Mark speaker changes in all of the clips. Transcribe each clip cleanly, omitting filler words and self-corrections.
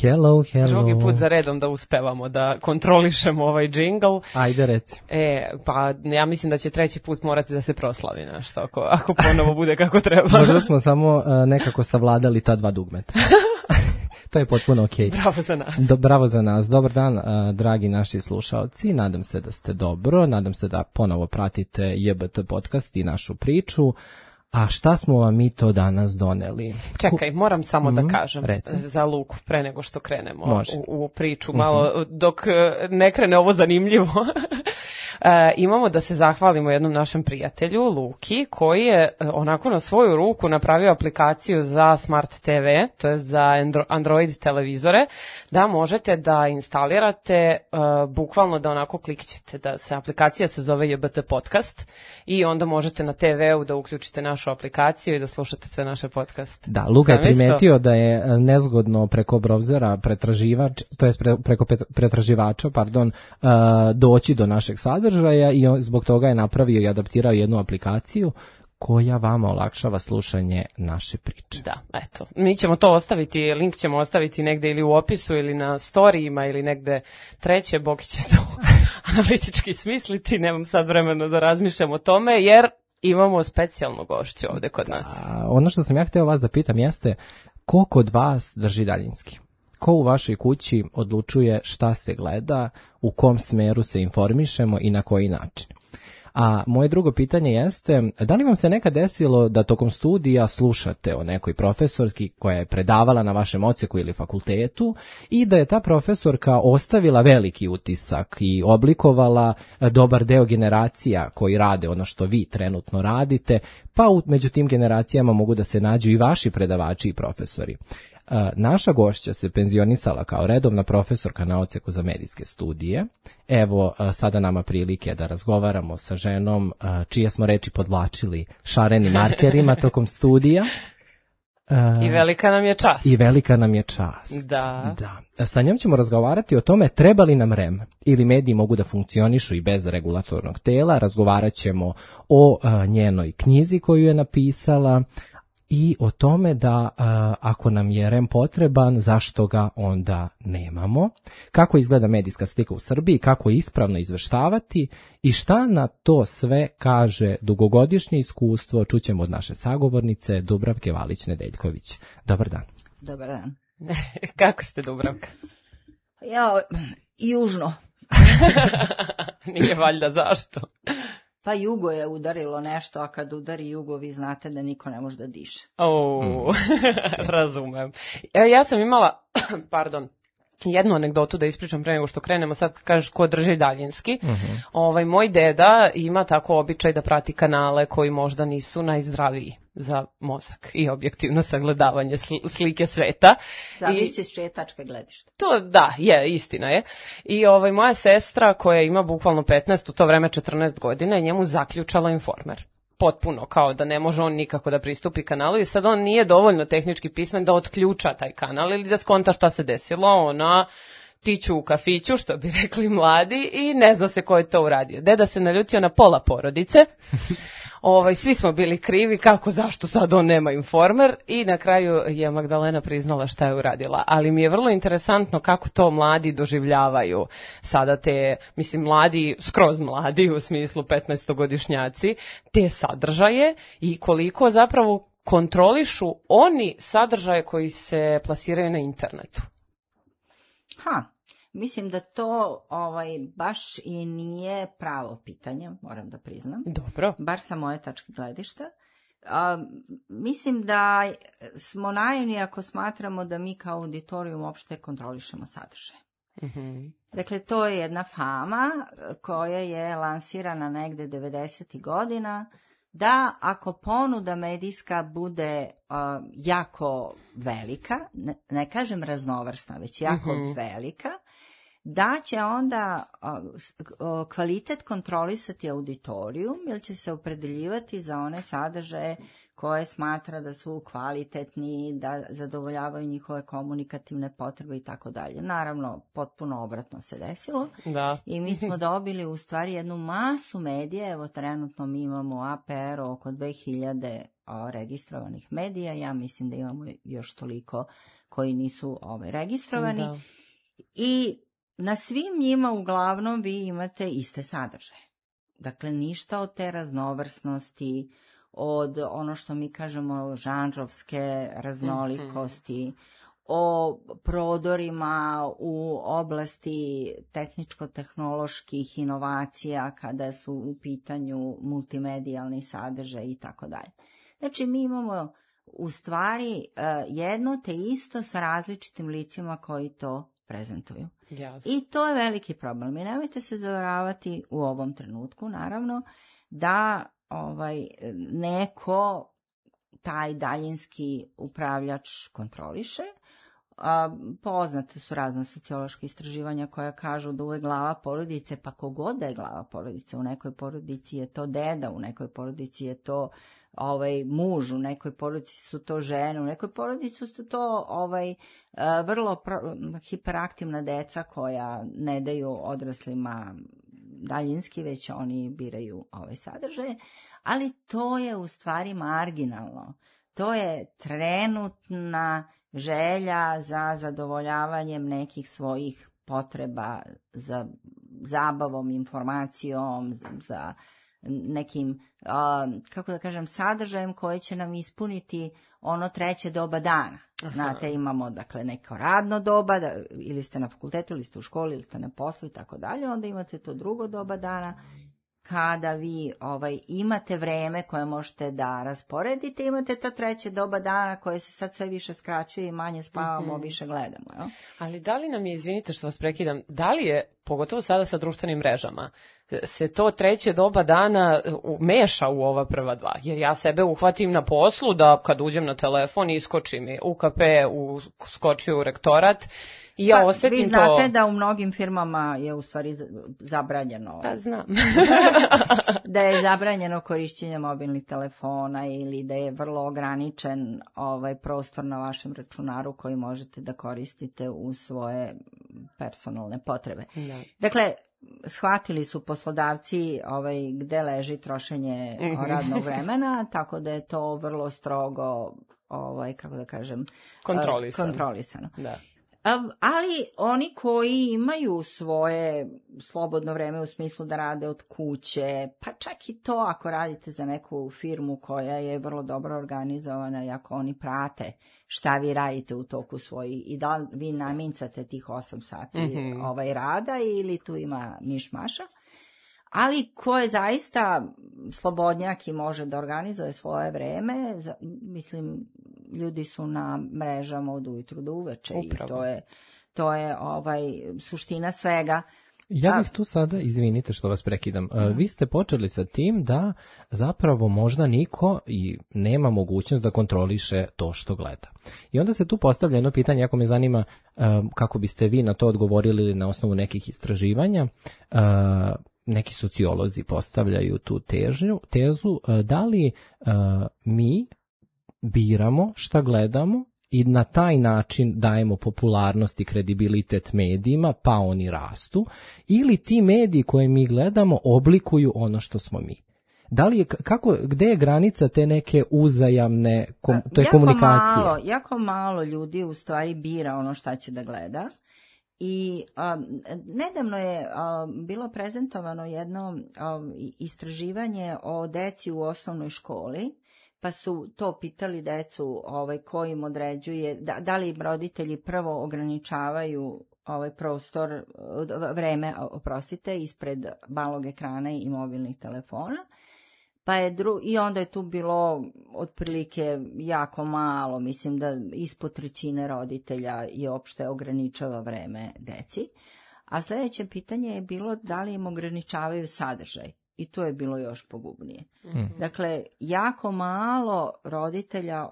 Speaker 1: Hello.
Speaker 2: Drugi put za redom da uspevamo da kontrolišemo ovaj džingl.
Speaker 1: Ajde, reci.
Speaker 2: Pa ja mislim da će treći put morati da se proslavi nešto, ako ponovo bude kako treba.
Speaker 1: Možda smo samo nekako savladali ta dva dugmeta. To je potpuno okej.
Speaker 2: Bravo za nas.
Speaker 1: Bravo za nas. Dobar dan, dragi naši slušaoci. Nadam se da ste dobro. Nadam se da ponovo pratite JBT podcast i našu priču. A šta smo vam mi to danas doneli?
Speaker 2: Čekaj, moram samo da kažem
Speaker 1: reci.
Speaker 2: Za Luku, pre nego što krenemo u priču, malo dok ne krene ovo zanimljivo. Imamo da se zahvalimo jednom našem prijatelju, Luki, koji je onako na svoju ruku napravio aplikaciju za Smart TV, to je za Android televizore, da možete da instalirate, bukvalno da onako klikćete, da se aplikacija se zove JBT podcast i onda možete na TV-u da uključite našu aplikaciju i da slušate sve naše podcaste.
Speaker 1: Da, Luka je primetio da je nezgodno preko browsera pretraživač, to jest preko pretraživača, doći do našeg sadržaja i zbog toga je napravio i adaptirao jednu aplikaciju koja vama olakšava slušanje naše priče.
Speaker 2: Da, eto. Mi ćemo to ostaviti, link ćemo ostaviti negde ili u opisu ili na storijima ili negde treće, Boki će to analitički smisliti, nemam sad vremena da razmišljam o tome, jer imamo specijalnu gošću ovde kod nas.
Speaker 1: Ono što sam ja hteo vas da pitam jeste, ko kod vas drži daljinski? Ko u vašoj kući odlučuje šta se gleda, u kom smeru se informišemo i na koji način? A moje drugo pitanje jeste, da li vam se nekad desilo da tokom studija slušate o nekoj profesorki koja je predavala na vašem odseku ili fakultetu i da je ta profesorka ostavila veliki utisak i oblikovala dobar deo generacija koji rade ono što vi trenutno radite, pa među tim generacijama mogu da se nađu i vaši predavači i profesori. Naša gošća se penzionisala kao redovna profesorka na odseku za medijske studije. Evo sada nama prilike da razgovaramo sa ženom čije smo reči podvlačili šarenim markerima tokom studija.
Speaker 2: I velika nam je čast.
Speaker 1: Da. Sa njom ćemo razgovarati o tome treba li nam REM ili mediji mogu da funkcionišu i bez regulatornog tela. Razgovarat ćemo o njenoj knjizi koju je napisala, i o tome da ako nam je REM potreban, zašto ga onda nemamo, kako izgleda medijska slika u Srbiji, kako ispravno izveštavati i šta na to sve kaže dugogodišnje iskustvo, čućemo od naše sagovornice Dubravke Valić-Nedeljković. Dobar dan.
Speaker 3: Dobar dan.
Speaker 2: Kako ste, Dubravka?
Speaker 3: Ja, južno.
Speaker 2: Nije valjda zašto?
Speaker 3: Pa jugo je udarilo nešto, a kad udari jugo, vi znate da niko ne može da diše.
Speaker 2: Razumem. Ja sam imala, jednu anegdotu da ispričam pre nego što krenemo, sad kažeš ko drži daljinski. Moj deda ima tako običaj da prati kanale koji možda nisu najzdraviji za mozak i objektivno sagledavanje slike sveta.
Speaker 3: Zavisi s čije tačke gledišta.
Speaker 2: To da, istina je. I moja sestra koja ima bukvalno 15, u to vreme 14 godina, je njemu zaključala Informer. Potpuno, kao da ne može on nikako da pristupi kanalu i sad on nije dovoljno tehnički pismen da otključa taj kanal ili da skonta šta se desilo, ona tiću u kafiću, što bi rekli mladi, i ne zna se ko je to uradio. Deda se naljutio na pola porodice, svi smo bili krivi, kako, zašto sad on nema Informer, i na kraju je Magdalena priznala šta je uradila. Ali mi je vrlo interesantno kako to mladi doživljavaju sada te, mladi, skroz mladi, u smislu 15-godišnjaci, te sadržaje i koliko zapravo kontrolišu oni sadržaje koji se plasiraju na internetu.
Speaker 3: Mislim da to baš i nije pravo pitanje, moram da priznam.
Speaker 2: Dobro.
Speaker 3: Bar sa moje tačke gledišta. Mislim da smo naivni ako smatramo da mi kao auditorijum uopšte kontrolišemo sadržaj. Dakle, to je jedna fama koja je lansirana negde 90. godina, da ako ponuda medijska bude jako velika, ne kažem raznovrsna, već jako velika, da će onda kvalitet kontrolisati auditorijum, jer će se opredeljivati za one sadržaje koje smatra da su kvalitetni, da zadovoljavaju njihove komunikativne potrebe i tako dalje. Naravno, potpuno obratno se desilo.
Speaker 2: Da.
Speaker 3: I mi smo dobili u stvari jednu masu medija. Evo, trenutno mi imamo APR oko 2000 registrovanih medija. Ja mislim da imamo još toliko koji nisu registrovani. Da. I na svim njima uglavnom vi imate iste sadržaje. Dakle, ništa od te raznovrsnosti, od ono što mi kažemo žanrovske raznolikosti, o prodorima u oblasti tehničko-tehnoloških inovacija kada su u pitanju multimedijalni sadržaj i tako dalje. Znači, mi imamo u stvari jedno te isto sa različitim licima koji to prezentuju. Yes. I to je veliki problem. I nemojte se zavaravati u ovom trenutku, naravno, da neko taj daljinski upravljač kontroliše. Poznate su razna sociološka istraživanja koja kažu da uvek glava porodice, pa kogod da je glava porodice, u nekoj porodici je to deda, u nekoj porodici je to muž, u nekoj porodici su to žene, u nekoj porodici su to vrlo hiperaktivna deca koja ne daju odraslima daljinski, već oni biraju sadržaje, ali to je u stvari marginalno. To je trenutna želja za zadovoljavanjem nekih svojih potreba, za zabavom, informacijom, za nekim, kako da kažem, sadržajem koji će nam ispuniti ono treće doba dana. Znate, imamo dakle neko radno doba, ili ste na fakultetu, ili ste u školi, ili ste na poslu i tako dalje, onda imate to drugo doba dana, kada vi imate vreme koje možete da rasporedite, imate ta treće doba dana koje se sad sve više skraćuje i manje spavamo, više gledamo. Jo?
Speaker 2: Ali da li nam je, izvinite što vas prekidam, da li je, pogotovo sada sa društvenim mrežama, se to treće doba dana meša u ova prva dva? Jer ja sebe uhvatim na poslu da kad uđem na telefon iskoči mi UKP, skoči u rektorat, i ja osetim to.
Speaker 3: Vi znate da u mnogim firmama je u stvari zabranjeno.
Speaker 2: Da, znam.
Speaker 3: Da je zabranjeno korišćenje mobilnih telefona ili da je vrlo ograničen prostor na vašem računaru koji možete da koristite u svoje personalne potrebe. Da. Dakle, shvatili su poslodavci gde leži trošenje radnog vremena, tako da je to vrlo strogo, kako da kažem, kontrolisano. Da. Ali oni koji imaju svoje slobodno vreme u smislu da rade od kuće, pa čak i to ako radite za neku firmu koja je vrlo dobro organizovana i ako oni prate šta vi radite u toku svojih i da vi namincate tih 8 sati rada ili tu ima mišmaša. Ali ko je zaista slobodnjak i može da organizuje svoje vreme, mislim, ljudi su na mrežama od ujutru do uveče. Upravo. I to je suština svega.
Speaker 1: Ja bih tu sada, izvinite što vas prekidam, vi ste počeli sa tim da zapravo možda niko i nema mogućnost da kontroliše to što gleda. I onda se tu postavlja jedno pitanje, ako me zanima kako biste vi na to odgovorili na osnovu nekih istraživanja. Neki sociolozi postavljaju tu tezu, da li mi biramo šta gledamo i na taj način dajemo popularnost i kredibilitet medijima, pa oni rastu, ili ti mediji koje mi gledamo oblikuju ono što smo mi. Da li je, gde je granica te neke uzajamne komunikacije?
Speaker 3: Jako malo ljudi u stvari bira ono šta će da gleda. I nedavno je bilo prezentovano jedno istraživanje o deci u osnovnoj školi, pa su to pitali decu ko im određuje, da li im roditelji prvo ograničavaju prostor, vreme, ispred malog ekrana i mobilnih telefona. Pa je i onda je tu bilo otprilike jako malo, mislim da ispod 1/3 roditelja je opšte ograničava vreme deci. A sljedeće pitanje je bilo da li im ograničavaju sadržaj. I to je bilo još pogubnije. Dakle, jako malo roditelja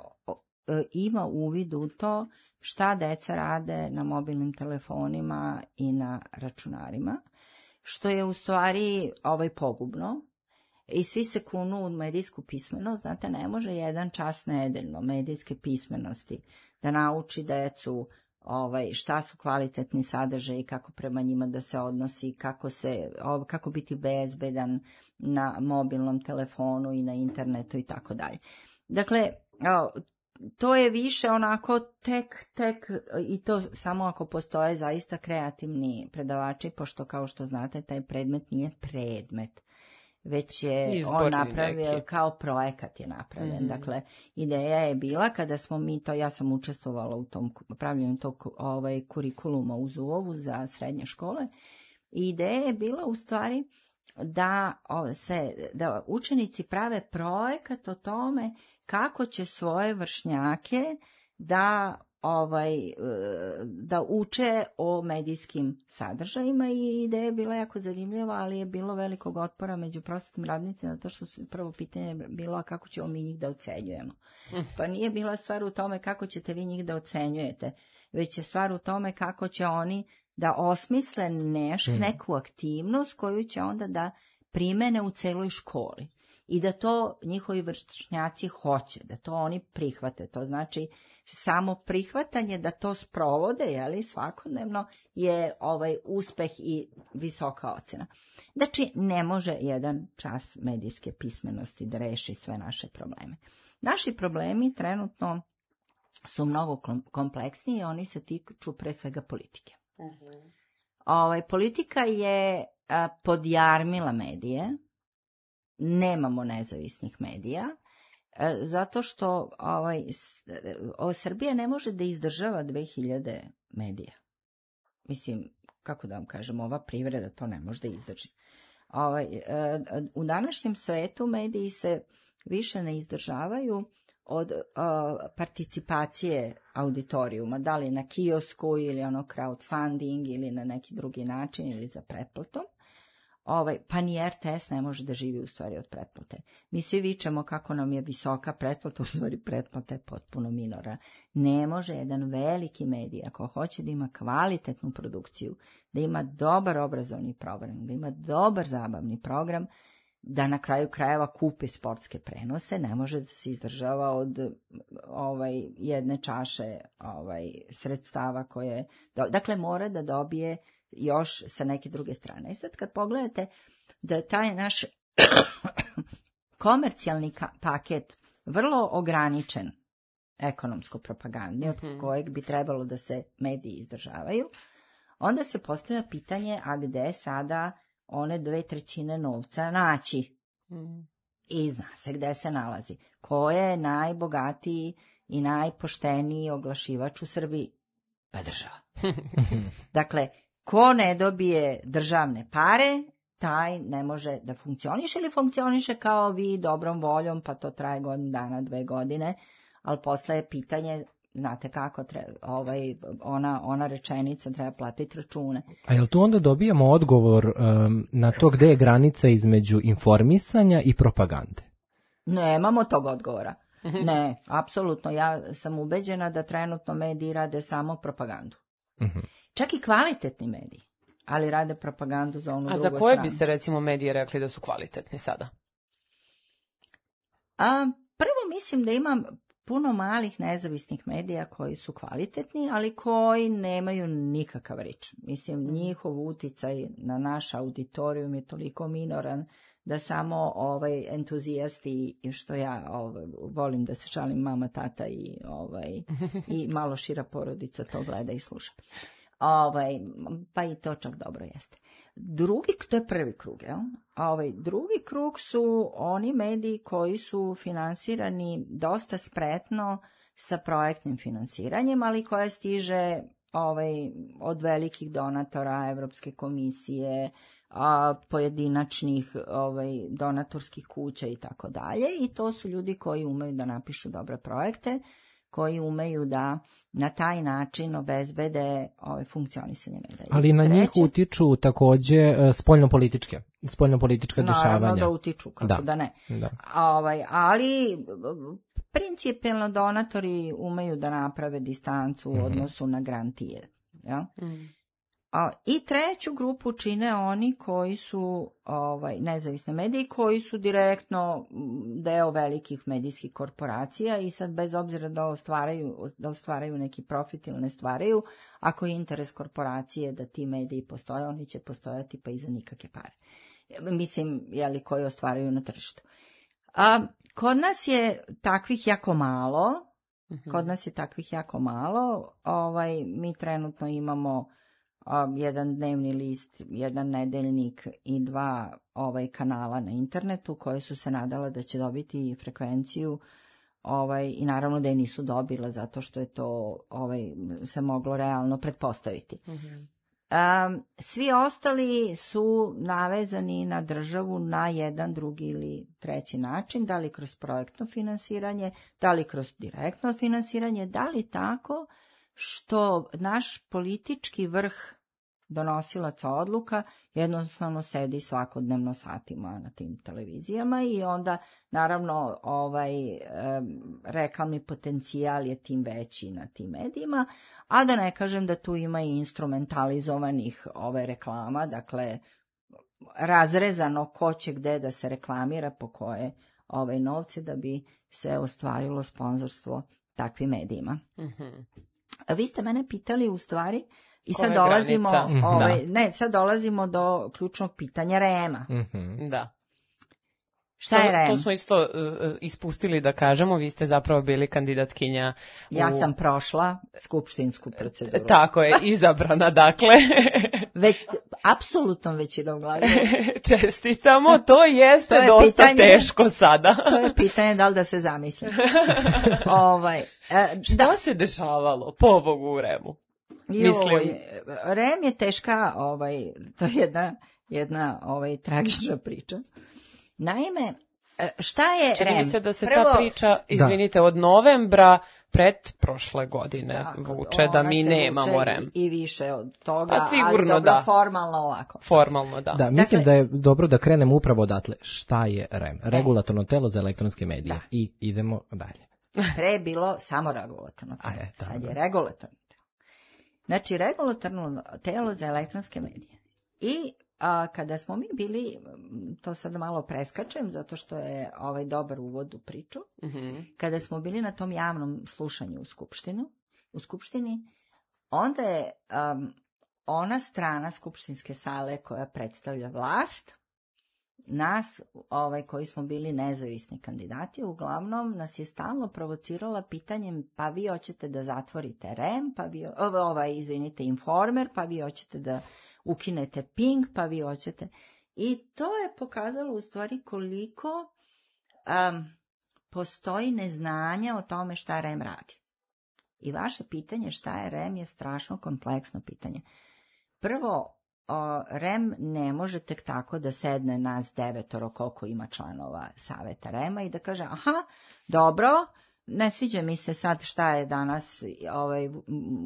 Speaker 3: ima uvid u to šta deca rade na mobilnim telefonima i na računarima, što je u stvari pogubno. I svi se kunu u medijsku pismenost, znate, ne može 1 čas nedeljno medijske pismenosti da nauči decu šta su kvalitetni sadržaji, kako prema njima da se odnosi, kako biti bezbedan na mobilnom telefonu i na internetu i tako dalje. Dakle, to je više onako tek i to samo ako postoje zaista kreativni predavači, pošto kao što znate taj predmet nije predmet, već je
Speaker 2: Izborni
Speaker 3: on napravio
Speaker 2: neki.
Speaker 3: Kao projekat je napravljen. Dakle, ideja je bila kada smo mi to, ja sam učestvovala u tom pravljenju tog kurikuluma u Zuovu za srednje škole. I ideja je bila u stvari da učenici prave projekat o tome kako će svoje vršnjake da uče o medijskim sadržajima i ideja je bila jako zanimljiva, ali je bilo velikog otpora među prosvetnim radnicima, zato što su prvo pitanje bilo a kako ćemo mi njih da ocenjujemo. Pa nije bila stvar u tome kako ćete vi njih da ocenjujete, već je stvar u tome kako će oni da osmisle neku aktivnost koju će onda da primene u celoj školi. I da to njihovi vršnjaci hoće, da to oni prihvate. To znači samo prihvatanje da to sprovode, svakodnevno je uspeh i visoka ocena. Znači, ne može jedan čas medijske pismenosti da reši sve naše probleme. Naši problemi trenutno su mnogo kompleksniji i oni se tiču pre svega politike. Politika je podjarmila medije. Nemamo nezavisnih medija, zato što Srbija ne može da izdržava 2000 medija. Mislim, kako da vam kažem, ova privreda to ne može da izdrži. U današnjem svetu mediji se više ne izdržavaju od participacije auditorijuma, da li na kiosku ili crowdfunding ili na neki drugi način ili za pretplatom. Pa ni RTS ne može da živi u stvari od pretplate. Mi svi vičemo kako nam je visoka pretplata, u stvari pretplata je potpuno minorna. Ne može jedan veliki medij, ako hoće da ima kvalitetnu produkciju, da ima dobar obrazovni program, da ima dobar zabavni program, da na kraju krajeva kupi sportske prenose, ne može da se izdržava od jedne čaše sredstava koje... Dakle, mora da dobije još sa neke druge strane. I sad kad pogledate da taj naš komercijalni paket vrlo ograničen ekonomsko propagandi, od kojeg bi trebalo da se mediji izdržavaju, onda se postavlja pitanje, a gde sada one 2/3 novca naći? I zna se gde se nalazi. Ko je najbogatiji i najpošteniji oglašivač u Srbiji? Pa država. Dakle, ko ne dobije državne pare, taj ne može da funkcioniše ili funkcioniše kao vi dobrom voljom, pa to traje godinu dana, 2 godine, ali posle je pitanje, znate kako, ona rečenica treba platiti račune.
Speaker 1: A jel tu onda dobijamo odgovor na to gde je granica između informisanja i propagande?
Speaker 3: Nemamo tog odgovora. Ne, apsolutno. Ja sam ubeđena da trenutno mediji rade samo propagandu. Čak i kvalitetni mediji, ali rade propagandu za onu drugu stranu.
Speaker 2: A za koje biste recimo medije rekli da su kvalitetni sada?
Speaker 3: Prvo mislim da ima puno malih nezavisnih medija koji su kvalitetni, ali koji nemaju nikakav rič. Mislim, njihov uticaj na naš auditorijum je toliko minoran da samo entuzijasti, što ja volim da se šalim, mama, tata i malo šira porodica to gleda i sluša. Pa i to čak dobro jeste. To je prvi krug, jel? Drugi krug su oni mediji koji su finansirani dosta spretno sa projektnim finansiranjem, ali koje stiže od velikih donatora, Evropske komisije, pojedinačnih donatorskih kuća i tako dalje. I to su ljudi koji umeju da napišu dobre projekte, koji umeju da na taj način obezbede funkcionisanje medija.
Speaker 1: Ali na njih utiču takođe spoljnopolitička dešavanja.
Speaker 3: Naravno da utiču, kako da ne.
Speaker 1: Da.
Speaker 3: Ali principijelno donatori umeju da naprave distancu u odnosu na grantije. Ja? I treću grupu čine oni koji su nezavisne mediji, koji su direktno deo velikih medijskih korporacija i sad bez obzira da ostvaraju neki profit ili ne stvaraju, ako je interes korporacije da ti mediji postoje, oni će postojati pa i za nikakve pare. Mislim, koji ostvaraju na tržištu. Kod nas je takvih jako malo. Mi trenutno imamo jedan dnevni list, jedan nedeljnik i 2 kanala na internetu koje su se nadala da će dobiti frekvenciju i naravno da je nisu dobila zato što je to se moglo realno pretpostaviti. Svi ostali su navezani na državu na jedan, drugi ili treći način, da li kroz projektno finansiranje, da li kroz direktno finansiranje, da li tako što naš politički vrh donosilaca odluka jednostavno sedi svakodnevno satima na tim televizijama i onda naravno reklamni potencijal je tim veći na tim medijima, a da ne kažem da tu ima i instrumentalizovanih reklama, dakle razrezano ko će gde da se reklamira po koje novce da bi se ostvarilo sponzorstvo takvim medijima. Vi ste mene pitali u stvari i sad dolazimo, sad dolazimo do ključnog pitanja REM-a.
Speaker 2: Da.
Speaker 3: Šta je REM?
Speaker 2: To smo isto ispustili da kažemo, vi ste zapravo bili kandidatkinja.
Speaker 3: Ja sam prošla skupštinsku proceduru.
Speaker 2: Tako je, izabrana, dakle.
Speaker 3: Apsolutnom većinom glasova.
Speaker 2: Čestitamo, to jeste dosta teško sada.
Speaker 3: To je pitanje da li da se zamislim.
Speaker 2: Šta se dešavalo, pobogu, u REM-u?
Speaker 3: REM je teška, to je jedna tragična priča. Naime, šta je REM?
Speaker 2: Čini se da se ta priča, izvinite, od novembra pred prošle godine vuče, da mi nemamo REM.
Speaker 3: I više od toga,
Speaker 2: pa sigurno,
Speaker 3: ali dobro, formalno ovako.
Speaker 2: Formalno, da.
Speaker 1: Da, mislim da je dobro da krenemo upravo odatle. Šta je REM? Regulatorno telo za elektronske medije. Da. I idemo dalje.
Speaker 3: Pre je bilo samo regulatorno telo. Sad je regulatorno telo. Znači, regulatorno telo za elektronske medije. I kada smo mi bili, to sad malo preskačem, zato što je dobar uvod u priču, kada smo bili na tom javnom slušanju u skupštini, onda je ona strana skupštinske sale koja predstavlja vlast, nas, koji smo bili nezavisni kandidati, uglavnom nas je stalno provocirala pitanjem, pa vi hoćete da zatvorite REM, pa vi, Informer, pa vi hoćete da ukinete Pink, pa vi hoćete. I to je pokazalo u stvari koliko postoji neznanja o tome šta REM radi. I vaše pitanje šta je REM je strašno kompleksno pitanje. Prvo, REM ne može tek tako da sedne nas 9 koliko ima članova saveta REM-a i da kaže, aha, dobro, ne sviđa mi se sad šta je danas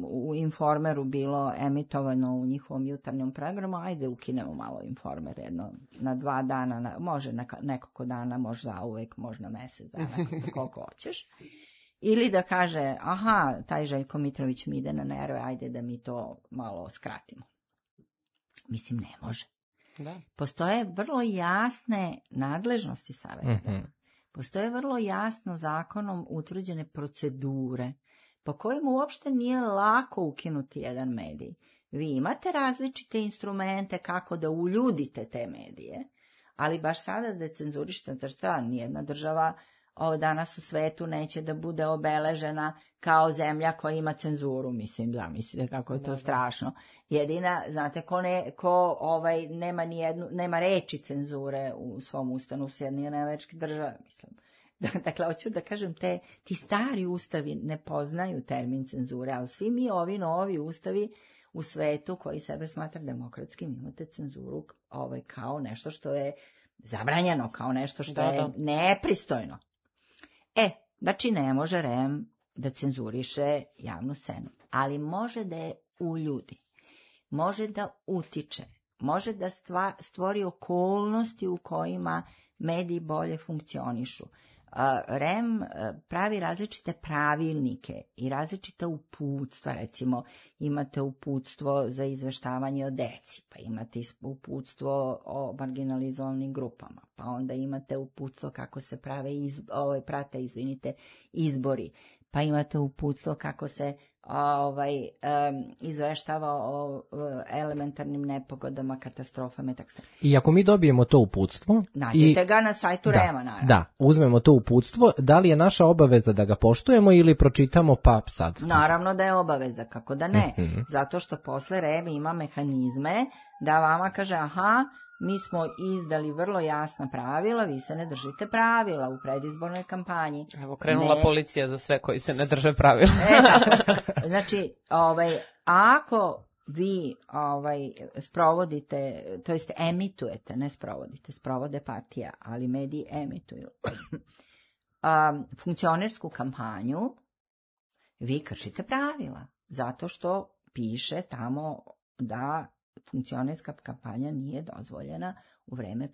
Speaker 3: u Informeru bilo emitovano u njihovom jutarnjem programu, ajde ukinemo malo Informer jedno na 2 dana, može na nekoliko dana, može zauvek, može na mesec dana, koliko hoćeš. Ili da kaže, aha, taj Željko Mitrović mi ide na nerve, ajde da mi to malo skratimo. Mislim, ne može.
Speaker 2: Da.
Speaker 3: Postoje vrlo jasne nadležnosti saveta. Postoje vrlo jasno zakonom utvrđene procedure po kojima uopšte nije lako ukinuti jedan medij. Vi imate različite instrumente kako da uljudite te medije, ali baš sada da cenzurište, šta, nijedna država danas u svetu neće da bude obeležena kao zemlja koja ima cenzuru. Mislim, da, mislite kako je to strašno. Jedina, znate, nema reči cenzure u svom ustanu Sjedinjenih Američkih Država, mislim. Dakle, hoću da kažem, ti stari ustavi ne poznaju termin cenzure, ali svi mi ovi novi ustavi u svetu koji sebe smatra demokratskim imate cenzuru kao nešto što je zabranjeno, kao nešto što je nepristojno. Znači ne može REM da cenzuriše javnu scenu, ali može da je uljudi, može da utiče, može da stvori okolnosti u kojima mediji bolje funkcionišu. REM pravi različite pravilnike i različite uputstva, recimo imate uputstvo za izveštavanje o deci, pa imate uputstvo o marginalizovanim grupama, pa onda imate uputstvo kako se prate izbori, pa imate uputstvo kako se izveštava o elementarnim nepogodama, katastrofama i tako se.
Speaker 1: I ako mi dobijemo to uputstvo...
Speaker 3: Naćete ga na sajtu REM-a, naravno.
Speaker 1: Da, uzmemo to uputstvo, da li je naša obaveza da ga poštujemo ili pročitamo pa sad?
Speaker 3: Naravno da je obaveza, kako da ne. Zato što posle REM ima mehanizme da vama kaže, aha, mi smo izdali vrlo jasna pravila, vi se ne držite pravila u predizbornoj kampanji.
Speaker 2: Evo, krenula policija za sve koji se ne drže pravila.
Speaker 3: Znači, ako vi sprovodite, to jest emitujete, ne sprovodite, sprovode partija, ali mediji emituju funkcionersku kampanju, vi kršite pravila, zato što piše tamo da funkcionerska kampanja nije dozvoljena u vreme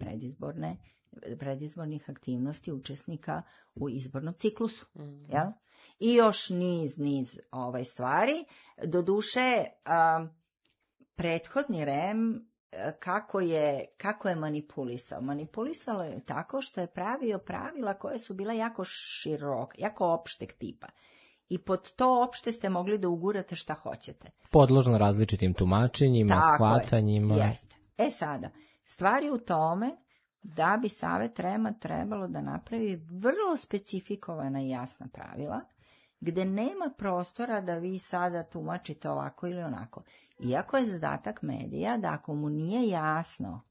Speaker 3: predizbornih aktivnosti učesnika u izbornom ciklusu. Jel? I još niz stvari. Doduše, prethodni REM kako je manipulisao? Manipulisalo je tako što je pravio pravila koje su bila jako široka, jako opšteg tipa. I pod to opšte ste mogli da ugurate šta hoćete.
Speaker 1: Podložno različitim tumačenjima, shvatanjima.
Speaker 3: Jeste. Sada, stvar je u tome da bi Savet REM-a trebalo da napravi vrlo specifikovana i jasna pravila, gde nema prostora da vi sada tumačite ovako ili onako. Iako je zadatak medija da ako mu nije jasno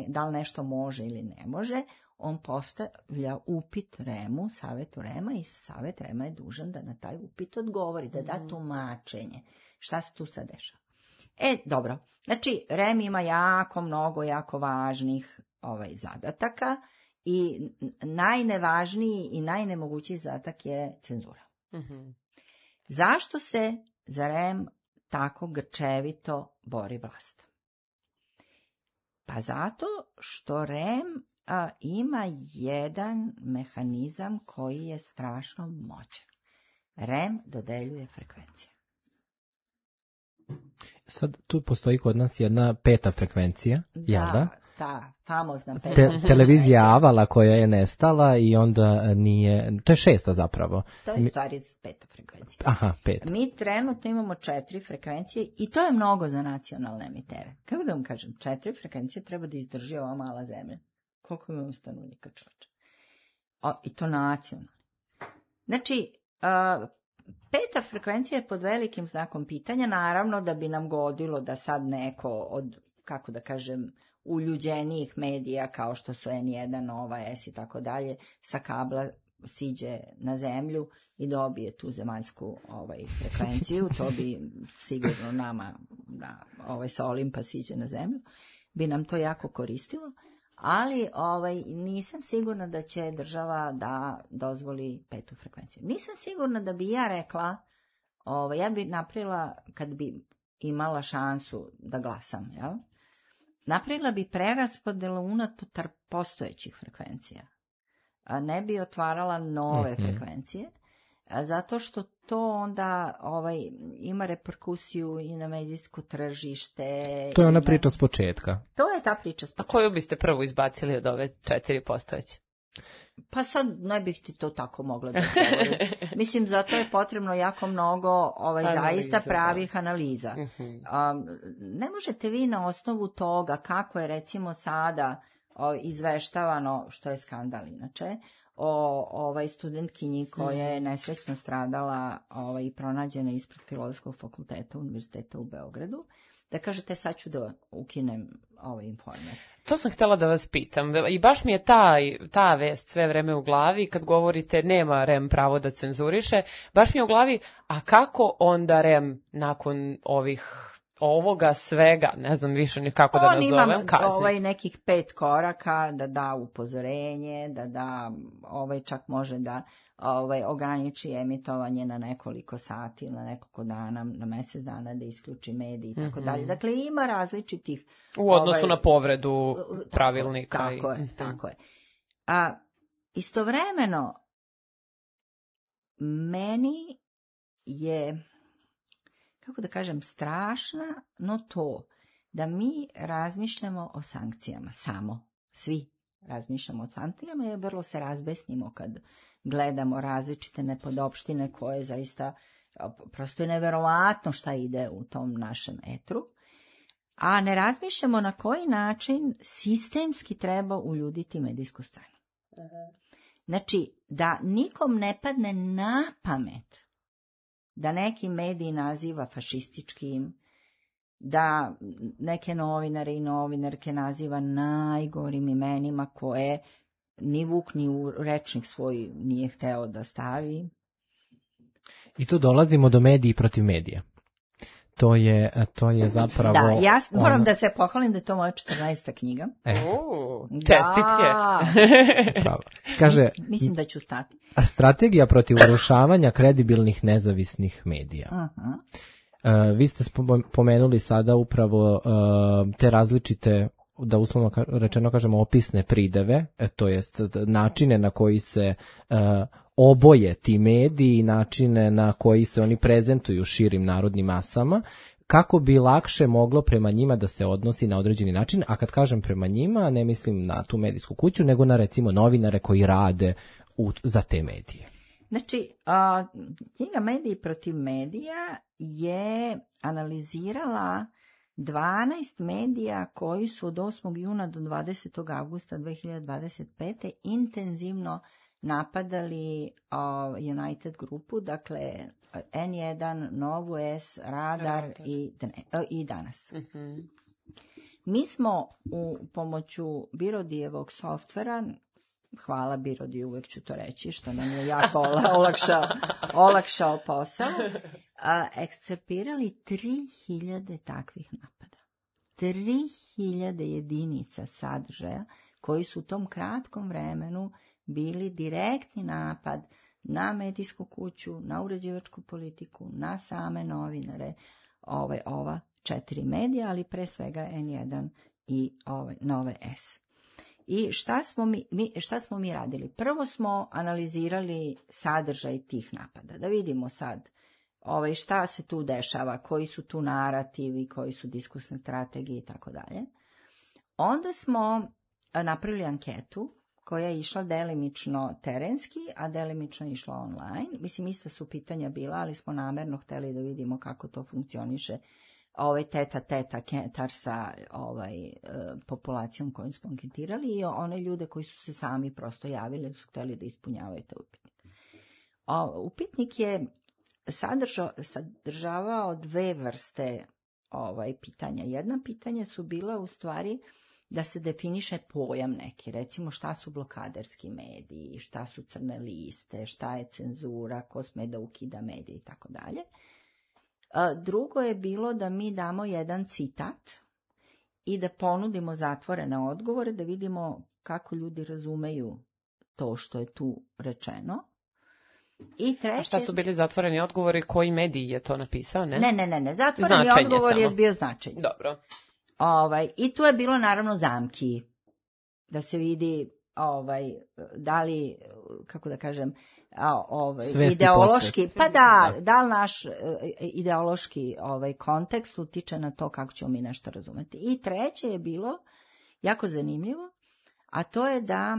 Speaker 3: da li nešto može ili ne može, on postavlja upit REM-u, Savetu REM-a, i Savet REM-a je dužan da na taj upit odgovori, da da tumačenje. Šta se tu sad dešava? Dobro. Znači, REM ima jako važnih zadataka i najnevažniji i najnemogućiji zadatak je cenzura. Zašto se za REM tako grčevito bori vlast? Pa zato što REM ima jedan mehanizam koji je strašno moćan. REM dodeljuje frekvencije.
Speaker 1: Sad tu postoji kod nas jedna 5. frekvencija, jel da?
Speaker 3: Ta famozna 5.
Speaker 1: Televizija Avala koja je nestala i onda nije, to je 6. zapravo.
Speaker 3: To je stvari 5. frekvencija.
Speaker 1: Aha, 5.
Speaker 3: Mi trenutno imamo 4 frekvencije i to je mnogo za nacionalne emitere. Kako da vam kažem, 4 frekvencije treba da izdrži ova mala zemlja. Koliko imamo stanovnika, čoveče? I to nacionalno. Znači, 5. frekvencija je pod velikim znakom pitanja, naravno da bi nam godilo da sad neko od, kako da kažem, uljuđenijih medija kao što su N1, Nova S i tako dalje, sa kabla siđe na zemlju i dobije tu zemaljsku frekvenciju, to bi sigurno nama sa Olimpa siđe na zemlju, bi nam to jako koristilo. Ali nisam sigurna da će država da dozvoli 5. frekvenciju. Nisam sigurna da bi ja rekla, ja bi napravila, kad bi imala šansu da glasam, jel? Napravila bi preraspodelu unutar postojećih frekvencija. Ne bi otvarala nove frekvencije, zato što to onda ima reperkusiju i na medijsko tržište.
Speaker 1: To je ona priča s početka.
Speaker 3: To je ta priča s početka.
Speaker 2: A koju biste prvo izbacili od ove 4 postojeće?
Speaker 3: Pa sad ne bih ti to tako mogla da govorim. Mislim, zato je potrebno jako mnogo zaista pravih analiza. Ne možete vi na osnovu toga kako je recimo sada izveštavano, što je skandal inače, o studentkinji koja je nesrećno stradala i pronađena ispred Filozofskog fakulteta Univerziteta u Beogradu, da kažete sad ću da ukinem Informer.
Speaker 2: To sam htjela da vas pitam i baš mi je ta vest sve vreme u glavi kad govorite nema REM pravo da cenzuriše, baš mi je u glavi, a kako onda REM nakon ovoga svega, ne znam više ni kako da nazovem, kazni?
Speaker 3: On ima nekih 5 koraka, da da upozorenje, da da, čak može da ograniči emitovanje na nekoliko sati, na nekoliko dana, na mjesec dana, da isključi medij i tako dalje. Dakle, ima različitih...
Speaker 2: U odnosu na povredu pravilnika.
Speaker 3: Tako je. A istovremeno, meni je, kako da kažem, strašno to da mi razmišljamo o sankcijama samo, svi razmišljamo o sankcijama, jer vrlo se razbesnimo kad gledamo različite nepodopštine koje zaista prosto je neverovatno šta ide u tom našem etru, a ne razmišljamo na koji način sistemski treba uljuditi medijsku scenu. Znači, da nikom ne padne na pamet da neki mediji naziva fašističkim, da neke novinare i novinarke naziva najgorim imenima koje ni Vuk ni u rečnik svoj nije hteo da stavi.
Speaker 1: I tu dolazimo do mediji protiv medija. To je zapravo...
Speaker 3: Da, ja moram da se pohvalim da je to moja 14. knjiga.
Speaker 2: Čestitke.
Speaker 1: Pravo. Kaže,
Speaker 3: mislim da ću stati.
Speaker 1: Strategija protiv urušavanja kredibilnih nezavisnih medija. Vi ste pomenuli sada upravo te različite, da uslovno rečeno kažemo, opisne prideve, to jest načine na koji se oboje ti mediji, načine na koji se oni prezentuju širim narodnim masama, kako bi lakše moglo prema njima da se odnosi na određeni način, a kad kažem prema njima, ne mislim na tu medijsku kuću, nego na recimo novinare koji rade za te medije.
Speaker 3: Znači, knjiga Mediji protiv medija je analizirala 12 medija koji su od 8. juna do 20. avgusta 2025. intenzivno napadali United grupu, dakle N1, Novu S, Radar i Danas. Mi smo u pomoću Birodijevog softvera, hvala Birodi, uvek ću to reći, što nam je jako olakšao posao, ekscerpirali 3000 takvih napada. 3000 jedinica sadržaja koji su u tom kratkom vremenu bili direktni napad na medijsku kuću, na uređivačku politiku, na same novinare, ova 4 medija, ali pre svega N1 i Nove S. I šta smo mi radili? Prvo smo analizirali sadržaj tih napada, da vidimo sad šta se tu dešava, koji su tu narativi, koji su diskursne strategije i tako dalje. Onda smo napravili anketu koja je išla delimično terenski, a delimično išla online. Mislim, ista su pitanja bila, ali smo namerno hteli da vidimo kako to funkcioniše teta kentar sa populacijom kojom smo anketirali i one ljude koji su se sami prosto javili, su hteli da ispunjavaju taj upitnik. Upitnik je sadržavao 2 vrste pitanja. Jedna pitanja su bila u stvari da se definiše pojam neki, recimo šta su blokaderski mediji, šta su crne liste, šta je cenzura, ko sme da ukida medije i tako dalje. Drugo je bilo da mi damo jedan citat i da ponudimo zatvorene odgovore, da vidimo kako ljudi razumeju to što je tu rečeno. I treće... A
Speaker 2: šta su bili zatvoreni odgovori, koji mediji je to napisao, ne?
Speaker 3: Ne, zatvoreni odgovor je bio značenje.
Speaker 2: Dobro.
Speaker 3: I tu je bilo naravno zamki, da se vidi da li, kako da kažem, ideološki, pa da li naš ideološki kontekst utiče na to kako ćemo mi nešto razumeti. I treće je bilo jako zanimljivo, a to je da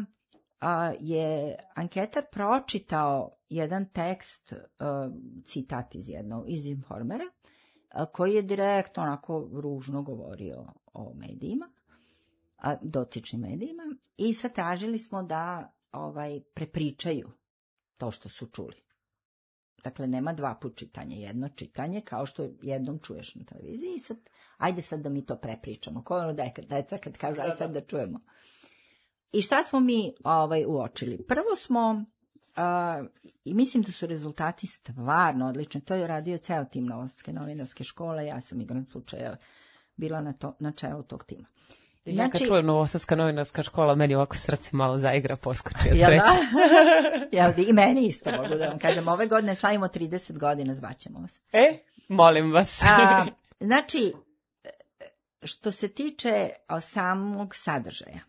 Speaker 3: je anketar pročitao jedan tekst, citat iz Informera, koji je direktno onako ružno govorio o medijima, dotičnim medijima, i sad tražili smo da prepričaju to što su čuli. Dakle, nema 2 put čitanja, jedno čitanje, kao što jednom čuješ na televiziji, i sad, ajde sad da mi to prepričamo. Ko ono deca kad kažu, ajde sad da čujemo. I šta smo mi uočili? Prvo smo, i mislim da su rezultati stvarno odlični, to je radio ceo tim Novosadske novinarske škole, ja sam igran slučaja bila na čelu tog tima.
Speaker 2: Ja kad čujem Novosadska novinarska škola, meni ovako srce malo zaigra, poskoči od
Speaker 3: sreće. I meni isto, mogu da vam kažem. Ove godine slavimo 30 godina, zvaćemo vas.
Speaker 2: Molim vas.
Speaker 3: Znači, što se tiče samog sadržaja,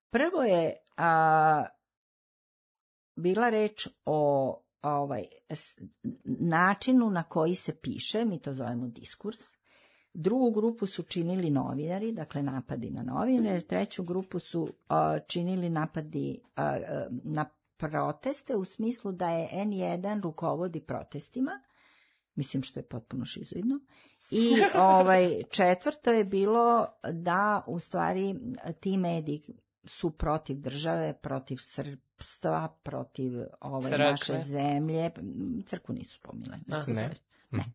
Speaker 3: prvo je bila reč o načinu na koji se piše, mi to zovemo diskurs. Drugu grupu su činili novinari, dakle napadi na novinare. Treću grupu su činili napadi na proteste u smislu da je N1 rukovodi protestima, mislim što je potpuno šizoidno. I četvrto je bilo da u stvari ti mediji su protiv države, protiv srpstva, protiv naše zemlje. Crkvu nisu spominjali. Ne.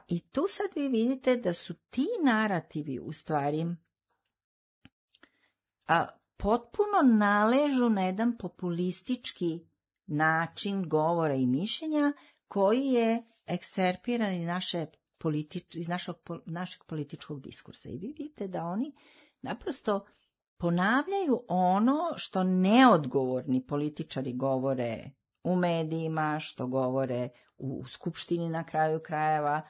Speaker 3: I tu sad vi vidite da su ti narativi u stvari potpuno naležu na jedan populistički način govora i mišljenja koji je ekscerpiran iz našeg političkog diskursa. I vi vidite da oni naprosto ponavljaju ono što neodgovorni političari govore u medijima, što govore u skupštini na kraju krajeva,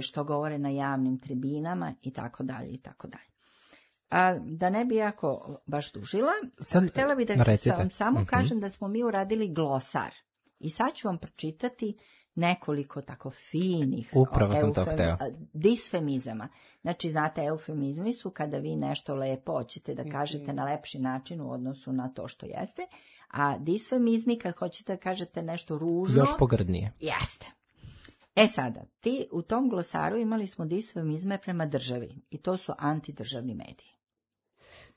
Speaker 3: što govore na javnim tribinama i tako dalje i tako dalje. Da ne bi jako baš dužila, htjela bih da vam samo kažem da smo mi uradili glosar. I sad ću vam pročitati nekoliko tako finih disfemizama. Znači, znate, eufemizmi su kada vi nešto lepo hoćete da kažete na lepši način u odnosu na to što jeste, a disfemizmi kad hoćete da kažete nešto ružno...
Speaker 1: Još pogrdnije.
Speaker 3: Jeste. Sada, u tom glosaru imali smo disfemizme prema državi i to su antidržavni mediji.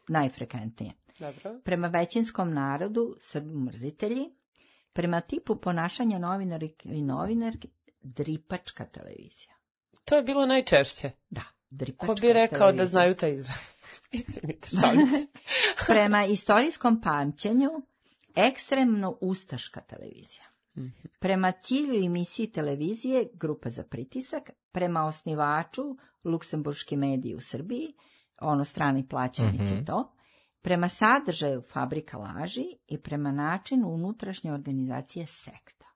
Speaker 3: Najfrekventnije.
Speaker 2: Dobro.
Speaker 3: Prema većinskom narodu, Srbi mrzitelji, prema tipu ponašanja novinarki i novinarki, dripačka televizija.
Speaker 2: To je bilo najčešće.
Speaker 3: Da, dripačka
Speaker 2: televizija. Ko bi rekao televizija. Da znaju taj izraz? Izvinite, šalim se.
Speaker 3: Prema istorijskom pamćenju, ekstremno ustaška televizija. Prema cilju i misiji televizije, grupa za pritisak, prema osnivaču, luksemburški mediji u Srbiji, strani plaćenici to, prema sadržaju fabrika laži i prema načinu unutrašnje organizacije sekta.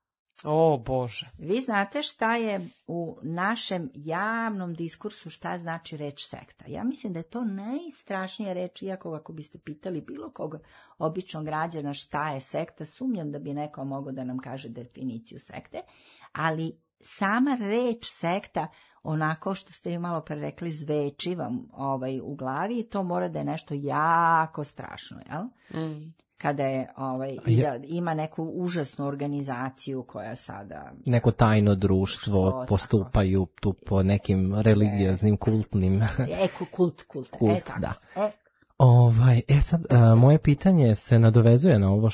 Speaker 2: O Bože.
Speaker 3: Vi znate šta je u našem javnom diskursu, šta znači reč sekta. Ja mislim da je to najstrašnija reč, iako ako biste pitali bilo koga običnog građana šta je sekta, sumnjam da bi neko mogao da nam kaže definiciju sekte, ali sama reč sekta, onako što ste ju malo pre rekli, zveči vam u glavi, to mora da je nešto jako strašno, jel? Kada je, i da ima neku užasnu organizaciju koja sada...
Speaker 1: Neko tajno društvo, postupaju tu po nekim religioznim, kultnim...
Speaker 3: Kult,
Speaker 1: da. Sad, moje pitanje se nadovezuje na ovo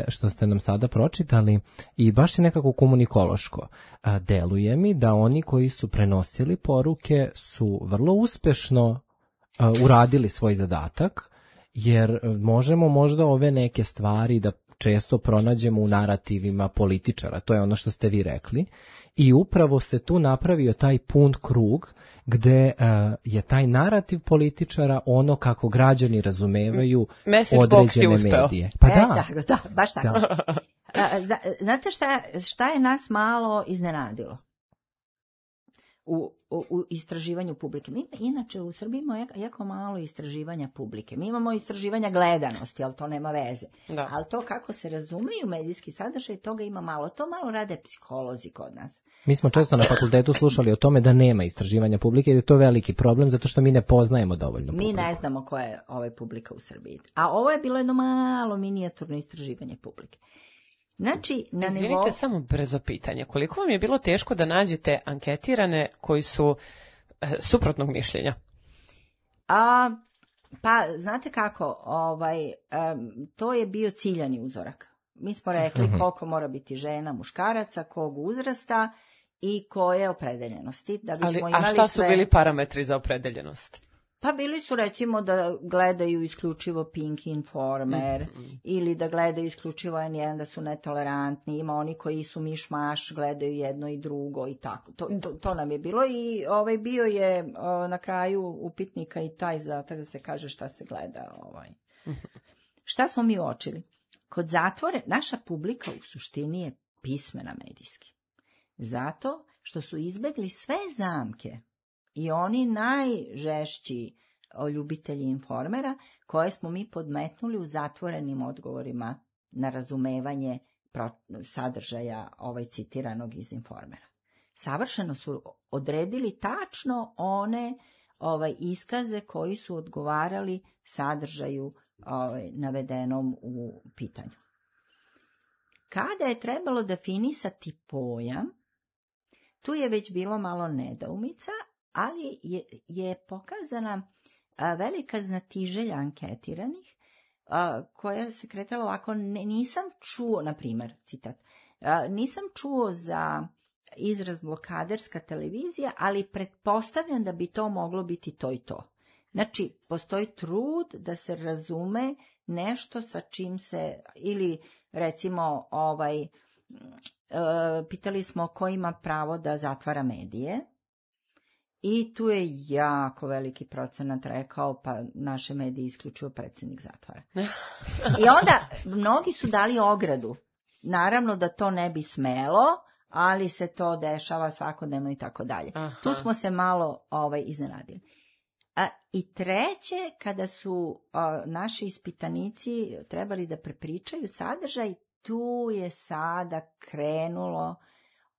Speaker 1: što ste nam sada pročitali i baš je nekako komunikološko. Deluje mi da oni koji su prenosili poruke su vrlo uspešno uradili svoj zadatak, jer možemo možda ove neke stvari da često pronađemo u narativima političara, to je ono što ste vi rekli, i upravo se tu napravio taj pun krug gde je taj narativ političara ono kako građani razumevaju određene medije.
Speaker 3: Pa da, baš tako. Znate šta je nas malo iznenadilo u istraživanju publike? Mi inače u Srbiji imamo jako malo istraživanja publike. Mi imamo istraživanja gledanosti, ali to nema veze.
Speaker 2: Da.
Speaker 3: Ali to kako se razumiju medijski sadržaj, toga ima malo. To malo rade psiholozi kod nas.
Speaker 1: Mi smo često na fakultetu slušali o tome da nema istraživanja publike, jer je to veliki problem, zato što mi ne poznajemo dovoljno publiku.
Speaker 3: Mi ne znamo koja je publika u Srbiji. A ovo je bilo jedno malo minijaturno istraživanje publike. Znači,
Speaker 2: Izvinite, samo brzo pitanje. Koliko vam je bilo teško da nađete anketirane koji su suprotnog mišljenja?
Speaker 3: Pa, znate kako, to je bio ciljani uzorak. Mi smo rekli koliko mora biti žena, muškaraca, kog uzrasta i koje opredeljenosti. Da bismo imali
Speaker 2: šta su bili parametri za opredeljenost?
Speaker 3: Pa bili su recimo da gledaju isključivo Pink Informer ili da gledaju isključivo N1, da su netolerantni, ima oni koji su miš-maš, gledaju jedno i drugo i tako. To nam je bilo i bio je na kraju upitnika i taj zadatak da se kaže šta se gleda. Šta smo mi uočili? Kod zatvore naša publika u suštini je pismena medijski. Zato što su izbegli sve zamke i oni najžešći ljubitelji Informera koje smo mi podmetnuli u zatvorenim odgovorima na razumevanje sadržaja citiranog iz Informera. Savršeno su odredili tačno one iskaze koji su odgovarali sadržaju navedenom u pitanju. Kada je trebalo definisati pojam, tu je već bilo malo nedoumica, ali je pokazana velika znatiželja anketiranih, koja se kretala ovako, nisam čuo, na primjer, citat, nisam čuo za izraz blokaderska televizija, ali pretpostavljam da bi to moglo biti to i to. Znači, postoji trud da se razume nešto sa čim se, ili recimo, pitali smo ko ima pravo da zatvara medije, i tu je jako veliki procenat rekao, pa naše medije isključio predsjednik zatvara. I onda mnogi su dali ogradu. Naravno da to ne bi smelo, ali se to dešava svakodnevno i tako dalje. Tu smo se malo iznenadili. I treće, kada su naši ispitanici trebali da prepričaju sadržaj, tu je sada krenulo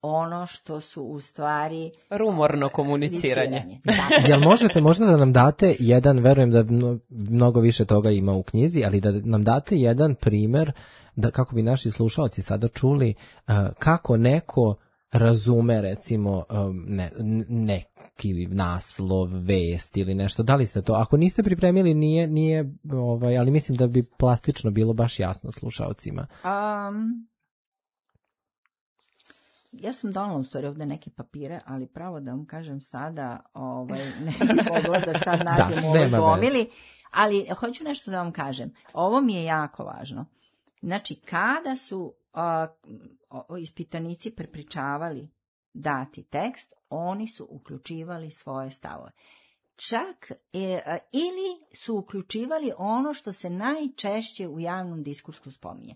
Speaker 3: ono što su u stvari
Speaker 2: rumorno komuniciranje.
Speaker 1: Jel možete možda da nam date jedan, verujem da mnogo više toga ima u knjizi, ali da nam date jedan primer, da kako bi naši slušalci sada čuli kako neko razume recimo neki naslov, vest ili nešto. Da li ste to? Ako niste pripremili, nije ali mislim da bi plastično bilo baš jasno slušalcima.
Speaker 3: Ja sam donala u stvari ovde neke papire, ali pravo da vam kažem sada, ne bih mogla da sad nađem u ovoj gomili, ali hoću nešto da vam kažem. Ovo mi je jako važno. Znači, kada su ispitanici prepričavali dati tekst, oni su uključivali svoje stavove. Čak ili su uključivali ono što se najčešće u javnom diskursu spominje.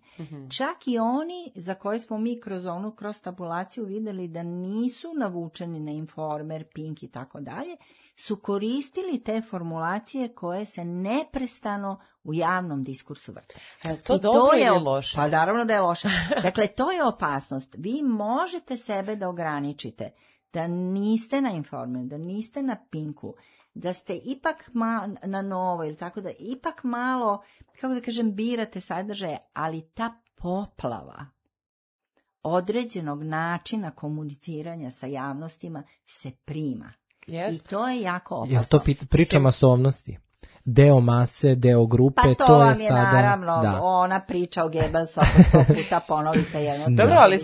Speaker 3: Čak i oni za koje smo mi kroz tabulaciju videli da nisu navučeni na Informer, Pink i tako dalje, su koristili te formulacije koje se neprestano u javnom diskursu vrte.
Speaker 2: To dobro ili loše?
Speaker 3: Pa naravno da je loše. Dakle, to je opasnost. Vi možete sebe da ograničite, da niste na Informeru, da niste na Pinku, da ste ipak na Novo, ili tako da ipak malo, kako da kažem, birate sadržaje, ali ta poplava određenog načina komuniciranja sa javnostima se prima.
Speaker 2: Yes.
Speaker 3: I to je jako opasno.
Speaker 1: Jel to priča masovnosti? Deo mase, deo grupe,
Speaker 3: pa
Speaker 1: to
Speaker 3: vam
Speaker 1: je sada...
Speaker 3: naravno, ona priča o Goebbelsu, ako 100 puta ponovite jedno.
Speaker 2: Dobro, ali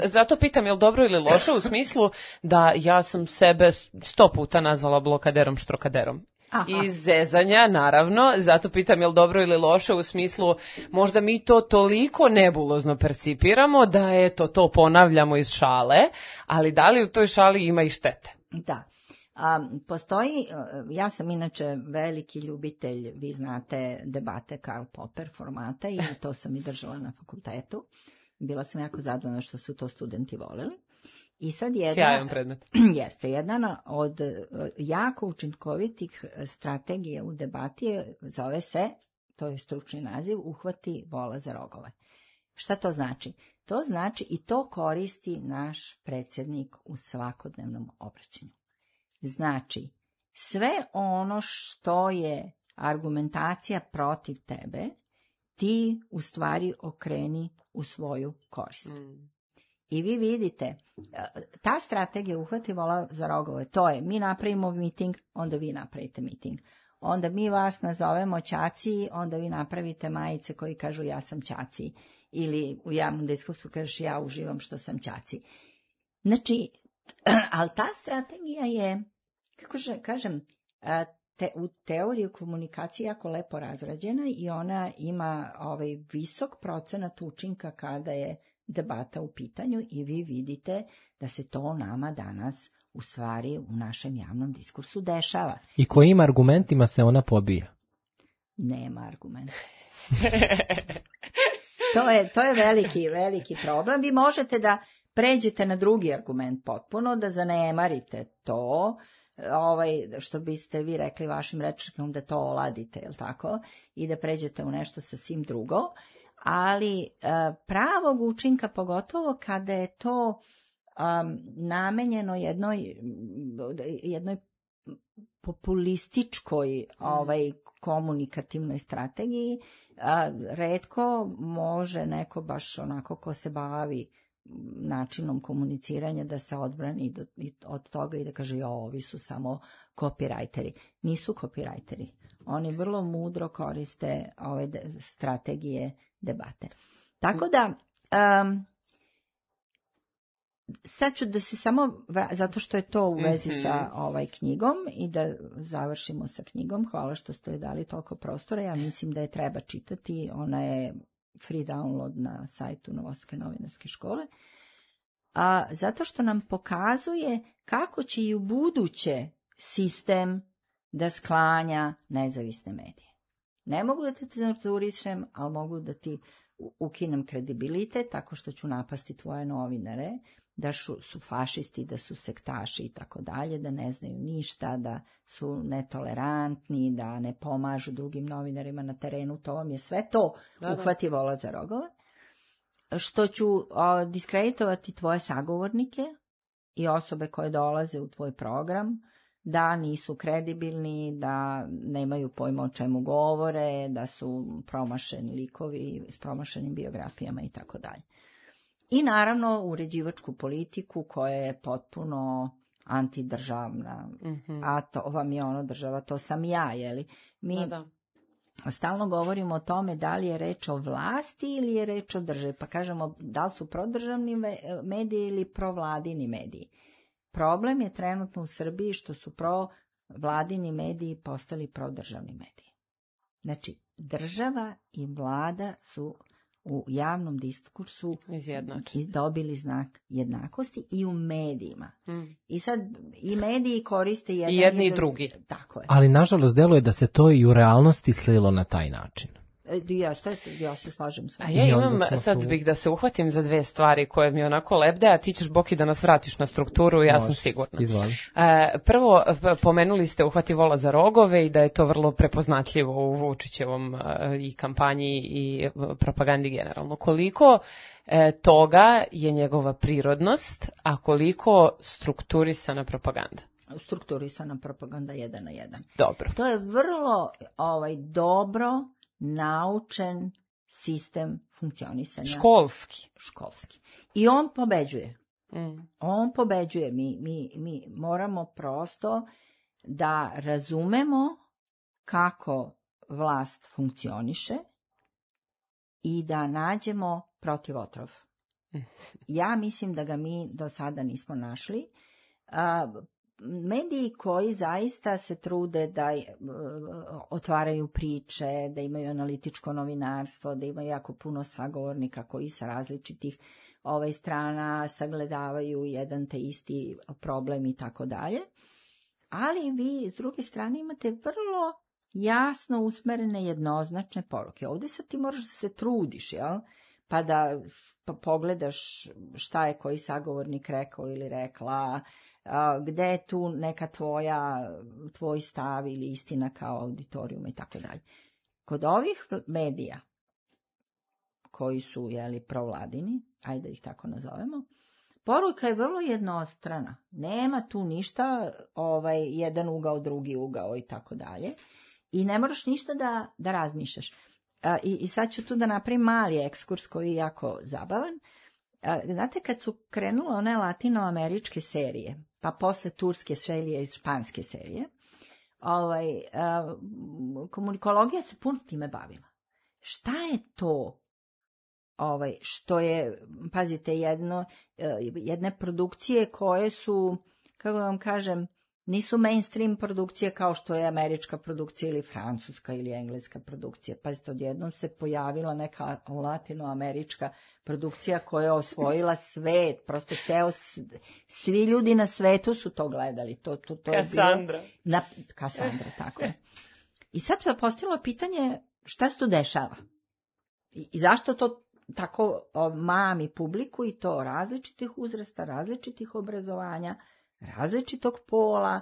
Speaker 2: zato pitam, je li dobro ili loše u smislu da ja sam sebe 100 puta nazvala blokaderom, štrokaderom. Iz zezanja, naravno, zato pitam je li dobro ili loše u smislu možda mi to toliko nebulozno percipiramo da to ponavljamo iz šale, ali da li u toj šali ima i štete?
Speaker 3: Da. Postoji, ja sam inače veliki ljubitelj, vi znate, debate Karl Popper formata i to sam i držala na fakultetu. Bila sam jako zadovoljna što su to studenti voleli. I sad
Speaker 2: sjajan predmet.
Speaker 3: Jeste, jedna od jako učinkovitih strategija u debati zove se, to je stručni naziv, uhvati vola za rogove. Šta to znači? To znači i to koristi naš predsjednik u svakodnevnom obraćanju. Znači, sve ono što je argumentacija protiv tebe, ti u stvari okreni u svoju korist. I vi vidite, ta strategija uhvati vola za rogove, to je mi napravimo miting, onda vi napravite miting. Onda mi vas nazovemo ćaci, onda vi napravite majice koji kažu ja sam ćaci. Ili u javnom diskursu kažeš ja uživam što sam ćaci. Znači, ali ta strategija je, kako kažem, u teoriji komunikacije jako lepo razrađena i ona ima visok procenat učinka kada je debata u pitanju i vi vidite da se to nama danas u stvari u našem javnom diskursu dešava.
Speaker 1: I kojim argumentima se ona pobija?
Speaker 3: Nema argumenta. To je veliki problem. Vi možete da pređete na drugi argument potpuno, da zanemarite to, što biste vi rekli vašim rečnikom da to oladite, jel tako? I da pređete u nešto sasvim drugo. Ali pravog učinka, pogotovo kada je to namenjeno jednoj populističkoj komunikativnoj strategiji. Retko može neko baš onako ko se bavi načinom komuniciranja da se odbrani od toga i da kaže ovi su samo copywriteri. Nisu copywriteri. Oni vrlo mudro koriste ove strategije debate. Tako da sad ću da se samo, zato što je to u vezi sa knjigom i da završimo sa knjigom. Hvala što ste joj dali toliko prostora. Ja mislim da je treba čitati. Ona je free download na sajtu Novosadske novinarske škole. Zato što nam pokazuje kako će i u buduće sistem da sklanja nezavisne medije. Ne mogu da te cenzurišem, ali mogu da ti ukinem kredibilitet tako što ću napasti tvoje novinare, da su fašisti, da su sektaši i tako dalje, da ne znaju ništa, da su netolerantni, da ne pomažu drugim novinarima na terenu. To vam je sve to uhvati vola za rogove. Što ću diskreditovati tvoje sagovornike i osobe koje dolaze u tvoj program, da nisu kredibilni, da nemaju pojma o čemu govore, da su promašeni likovi s promašenim biografijama i tako dalje. I naravno uređivačku politiku koja je potpuno antidržavna, a to vam je ono država, to sam ja, jeli? Mi stalno govorimo o tome da li je reč o vlasti ili je reč o državi, pa kažemo da li su prodržavni mediji ili provladini mediji. Problem je trenutno u Srbiji što su provladini mediji postali prodržavni mediji. Znači, država i vlada su u javnom diskursu dobili znak jednakosti i u medijima. I sad i mediji koriste
Speaker 2: jedni i drugi.
Speaker 3: Tako je.
Speaker 1: Ali nažalost deluje da se to i u realnosti slilo na taj način.
Speaker 3: Ja se slažem s vama.
Speaker 2: A ja imam, sad bih da se uhvatim za dve stvari koje mi onako lebde, a ti ćeš, Boki, da nas vratiš na strukturu, ja sam sigurna.
Speaker 1: Izvoli.
Speaker 2: Prvo, pomenuli ste uhvati vola za rogove i da je to vrlo prepoznatljivo u Vučićevom i kampanji i propagandi generalno. Koliko toga je njegova prirodnost, a koliko strukturisana propaganda?
Speaker 3: Strukturisana propaganda 1 na 1.
Speaker 2: Dobro.
Speaker 3: To je vrlo dobro naučen sistem funkcionisanja. Školski. I on pobeđuje. On pobeđuje. Mi moramo prosto da razumemo kako vlast funkcioniše i da nađemo protivotrov. Ja mislim da ga mi do sada nismo našli. Mediji koji zaista se trude da otvaraju priče, da imaju analitičko novinarstvo, da imaju jako puno sagovornika koji sa različitih strana sagledavaju jedan te isti problem i tako dalje. Ali vi s druge strane imate vrlo jasno usmerene jednoznačne poruke. Ovdje sad ti moraš da se trudiš, jel? Pa da pogledaš šta je koji sagovornik rekao ili rekla, gde je tu neka tvoj stav ili istina kao auditorijum i tako dalje. Kod ovih medija koji su provladini, ajde ih tako nazovemo, poruka je vrlo jednostrana. Nema tu ništa, jedan ugao, drugi ugao i tako dalje. I ne moraš ništa da razmišljaš. I sad ću tu da napravim mali ekskurs koji je jako zabavan. Znate, kad su krenule one latinoameričke serije, pa posle turske serije i španske serije, komunikologija se puno time bavila. Šta je to što je, pazite, jedne produkcije koje su, kako vam kažem, nisu mainstream produkcije kao što je američka produkcija ili francuska ili engleska produkcija. Pazite, odjednom se pojavila neka latinoamerička produkcija koja je osvojila svet, prosto svi ljudi na svetu su to gledali. To
Speaker 2: Kassandra.
Speaker 3: Je bilo Kassandra, tako je. I sad se postavilo pitanje šta se to dešava i zašto to tako mami publiku i to različitih uzrasta, različitih obrazovanja, različitog pola,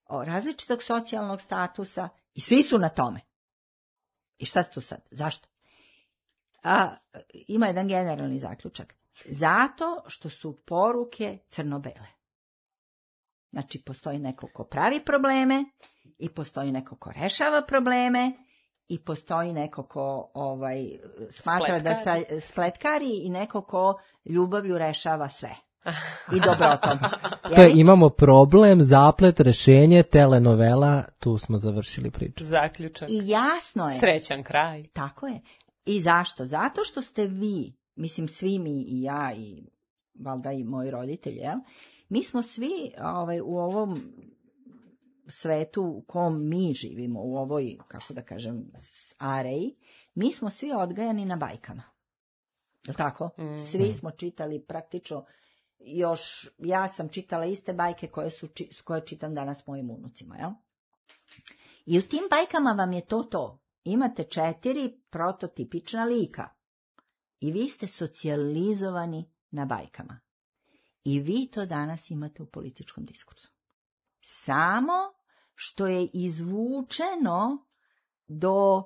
Speaker 3: različitog socijalnog statusa i svi su na tome. I šta se tu sad? Zašto? Ima jedan generalni zaključak. Zato što su poruke crno-bele. Znači, postoji neko ko pravi probleme i postoji neko ko rešava probleme i postoji neko ko smatra da spletkari i neko ko ljubavlju rešava sve. I dobrotom.
Speaker 1: To je, imamo problem, zaplet, rešenje, telenovela, tu smo završili priču.
Speaker 2: Zaključak.
Speaker 3: I jasno je.
Speaker 2: Srećan kraj.
Speaker 3: Tako je. I zašto? Zato što ste vi, mislim svi mi i ja i valjda i moji roditelji, mi smo svi u ovom svetu u kom mi živimo, u ovoj, kako da kažem, areji, mi smo svi odgajani na bajkama. Je li tako? Svi smo čitali praktično, još ja sam čitala iste bajke koje čitam danas mojim unucima, jel? I u tim bajkama vam je to. Imate 4 prototipična lika i vi ste socijalizovani na bajkama. I vi to danas imate u političkom diskursu. Samo što je izvučeno do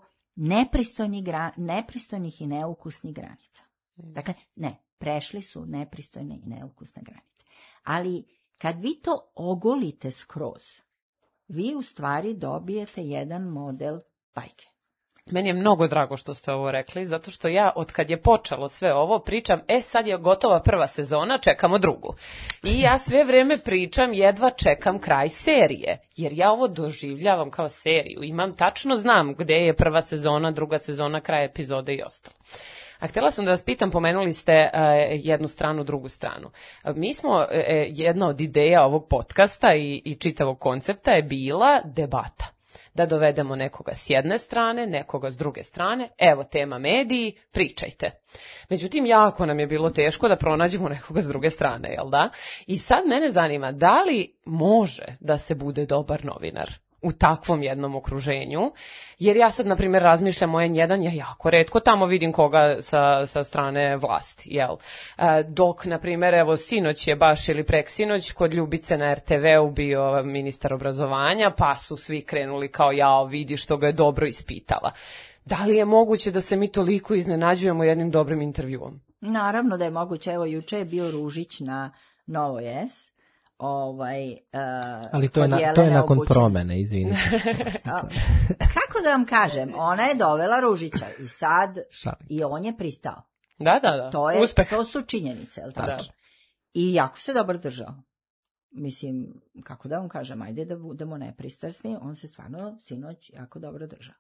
Speaker 3: nepristojnih i neukusnih granica. Dakle, prešli su nepristojne i neukusne granice. Ali kad vi to ogolite skroz, vi u stvari dobijete jedan model bajke.
Speaker 2: Meni je mnogo drago što ste ovo rekli, zato što ja, od kad je počelo sve ovo, pričam, sad je gotova prva sezona, čekamo drugu. I ja sve vreme pričam, jedva čekam kraj serije, jer ja ovo doživljavam kao seriju. Tačno znam gde je prva sezona, druga sezona, kraj epizode i ostalo. A htjela sam da vas pitam, pomenuli ste jednu stranu, drugu stranu. Mi smo, jedna od ideja ovog podcasta i čitavog koncepta je bila debata. Da dovedemo nekoga s jedne strane, nekoga s druge strane, evo tema mediji, pričajte. Međutim, jako nam je bilo teško da pronađemo nekoga s druge strane, jel da? I sad mene zanima, da li može da se bude dobar novinar u takvom jednom okruženju, jer ja sad, na primjer, razmišljam o N1, ja jako retko tamo vidim koga sa strane vlasti, jel? Dok, na primjer, evo, sinoć je baš ili preksinoć kod Ljubice na RTV-u bio ministar obrazovanja, pa su svi krenuli kao, jao, vidi što ga je dobro ispitala. Da li je moguće da se mi toliko iznenađujemo jednim dobrim intervjuom?
Speaker 3: Naravno da je moguće, evo, juče je bio Ružić na Novo S,
Speaker 1: ali to je nakon promene, izvinite.
Speaker 3: Kako da vam kažem, ona je dovela Ružića i sad i on je pristao.
Speaker 2: Da.
Speaker 3: To su činjenice, jel tako? I jako se dobro držao. Mislim, kako da vam kažem, ajde da budemo nepristrasni, on se stvarno sinoć jako dobro držao.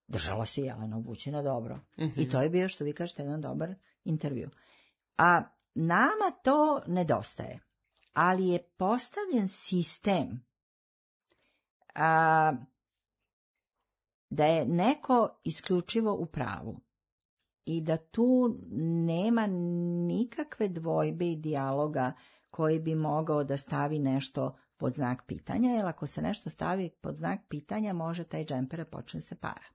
Speaker 3: Držala se Jelena Obućina dobro. I to je bio, što vi kažete, jedan dobar intervju. A nama to nedostaje. Ali je postavljen sistem da je neko isključivo u pravu i da tu nema nikakve dvojbe i dijaloga koji bi mogao da stavi nešto pod znak pitanja, jer ako se nešto stavi pod znak pitanja, može taj džemper počne se para.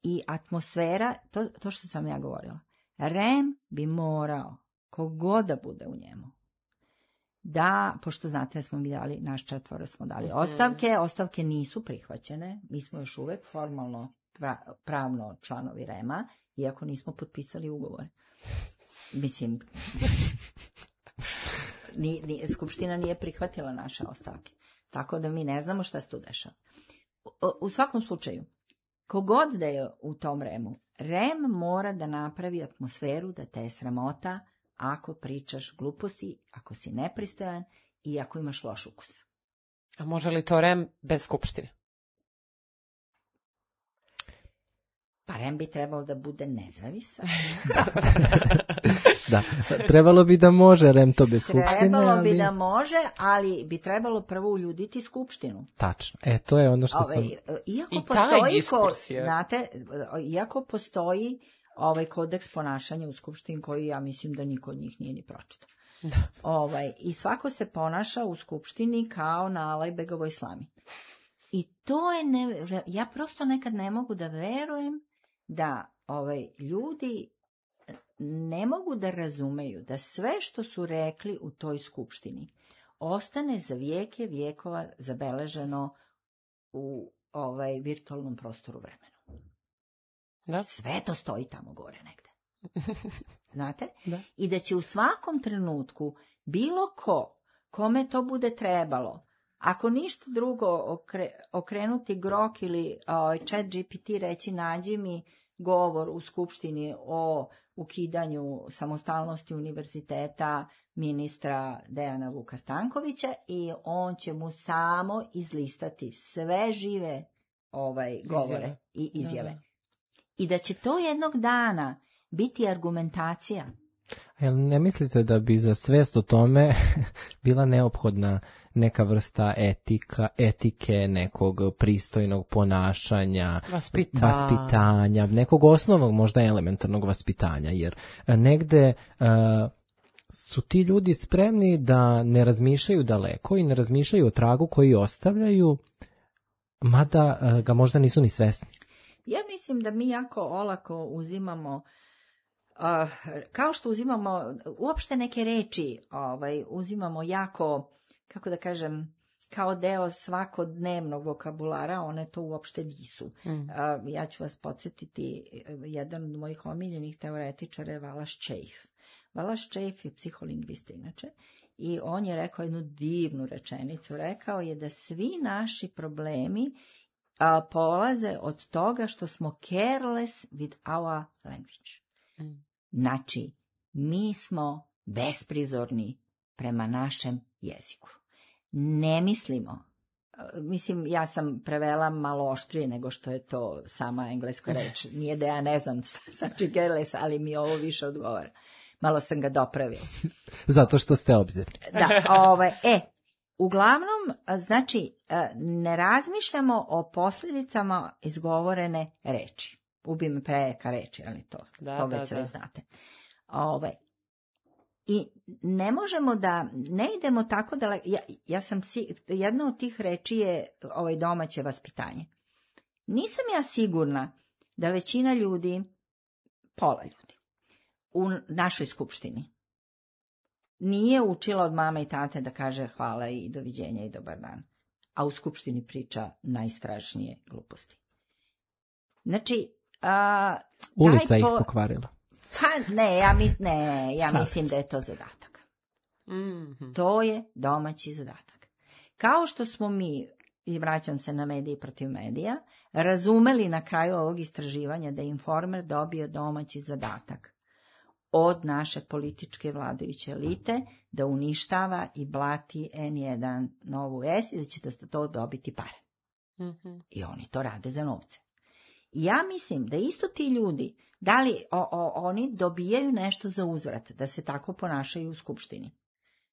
Speaker 3: I atmosfera, to što sam ja govorila, REM bi morao, kogod da bude u njemu, da, pošto znate da smo mi dali, naš 4 smo dali ostavke nisu prihvaćene, mi smo još uvek formalno pravno članovi REM-a, iako nismo potpisali ugovor. Mislim, Skupština nije prihvatila naše ostavke, tako da mi ne znamo šta se tu dešava. U svakom slučaju, kogod da je u tom REM-u, REM mora da napravi atmosferu da te je sramota ako pričaš gluposti, ako si nepristojan i ako imaš loš ukus.
Speaker 2: A može li to REM bez Skupštine?
Speaker 3: Pa REM bi trebalo da bude nezavisan.
Speaker 1: Da, trebalo bi da može REM to bez Skupštine.
Speaker 3: Trebalo bi da može, ali bi trebalo prvo uljuditi Skupštinu.
Speaker 1: Tačno, to je ono što sam...
Speaker 3: Iako postoji kodeks ponašanja u Skupštini koji ja mislim da niko od njih nije ni pročitao. I svako se ponaša u Skupštini kao na Alajbegovoj slami. I to je ja prosto nekad ne mogu da verujem da ljudi ne mogu da razumeju da sve što su rekli u toj Skupštini ostane za vijeke vijekova zabeleženo u virtualnom prostoru vremenu.
Speaker 2: Da.
Speaker 3: Sve to stoji tamo gore negde. Znate?
Speaker 2: Da.
Speaker 3: I da će u svakom trenutku bilo kome to bude trebalo, Ako ništa drugo, okrenuti Grok ili Chat GPT reći nađi mi govor u Skupštini o ukidanju samostalnosti univerziteta ministra Dejana Vuka Stankovića i on će mu samo izlistati sve žive govore i izjave. Da. I da će to jednog dana biti argumentacija.
Speaker 1: Jel ne mislite da bi za svest o tome bila neophodna neka vrsta etike, nekog pristojnog ponašanja, vaspitanja, nekog osnovnog možda elementarnog vaspitanja, jer negde su ti ljudi spremni da ne razmišljaju daleko i ne razmišljaju o tragu koji ostavljaju, mada ga možda nisu ni svesni.
Speaker 3: Ja mislim da mi jako olako uzimamo, kao što uzimamo uopšte neke reči, uzimamo jako, kako da kažem, kao deo svakodnevnog vokabulara, one to uopšte nisu. Ja ću vas podsjetiti, jedan od mojih omiljenih teoretičara je Wallace Chafe. Wallace Chafe je psiholingvista inače i on je rekao jednu divnu rečenicu. Rekao je da svi naši problemi polaze od toga što smo careless with our language. Znači, mi smo besprizorni prema našem jeziku. Ne mislimo. Mislim, ja sam prevela malo oštrije nego što je to sama engleska reč. Nije da ja ne znam šta znači careless, ali mi ovo više odgovara. Malo sam ga dopravila.
Speaker 1: Zato što ste obzirni.
Speaker 3: Da, uglavnom, znači, ne razmišljamo o posljedicama izgovorene reči. Ubi me prejaka reči, ali to, toga sve znate. I ne možemo da, ne idemo tako da, jedna od tih reči je domaće vaspitanje. Nisam ja sigurna da većina ljudi, pola ljudi, u našoj skupštini nije učila od mame i tate da kaže hvala i doviđenja i dobar dan, a u skupštini priča najstrašnije gluposti. Znači,
Speaker 1: ulica ih pokvarila.
Speaker 3: Pa ne, ja mislim da je to zadatak. To je domaći zadatak. Kao što smo mi, i vraćam se na medije protiv medija, razumeli na kraju ovog istraživanja da je Informer dobio domaći zadatak od naše političke vladajuće elite da uništava i blati N1 Novu S i da će da to dobiti pare. I oni to rade za novce. Ja mislim da isto ti ljudi, da li oni dobijaju nešto za uzvrat, da se tako ponašaju u skupštini.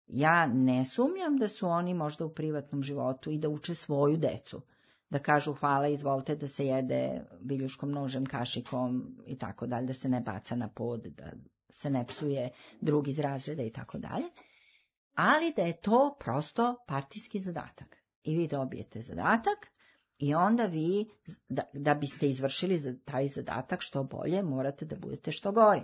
Speaker 3: Ja ne sumnjam da su oni možda u privatnom životu i da uče svoju decu, da kažu hvala, izvolite da se jede viljuškom, nožem, kašikom i tako dalje, da se ne baca na pod, da se ne psuje drugi iz razreda i tako dalje, ali da je to prosto partijski zadatak. I vi dobijete zadatak i onda vi, da biste izvršili taj zadatak što bolje, morate da budete što gori.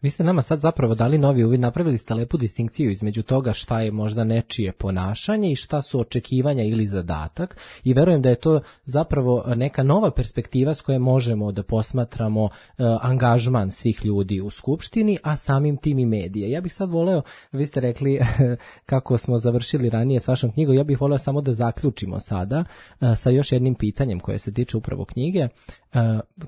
Speaker 1: Vi ste nama sad zapravo dali novi uvid, napravili ste lepu distinkciju između toga šta je možda nečije ponašanje i šta su očekivanja ili zadatak i verujem da je to zapravo neka nova perspektiva s koje možemo da posmatramo angažman svih ljudi u skupštini, a samim tim i medije. Ja bih sad voleo, vi ste rekli kako smo završili ranije s vašom knjigom, ja bih voleo samo da zaključimo sada sa još jednim pitanjem koje se tiče upravo knjige.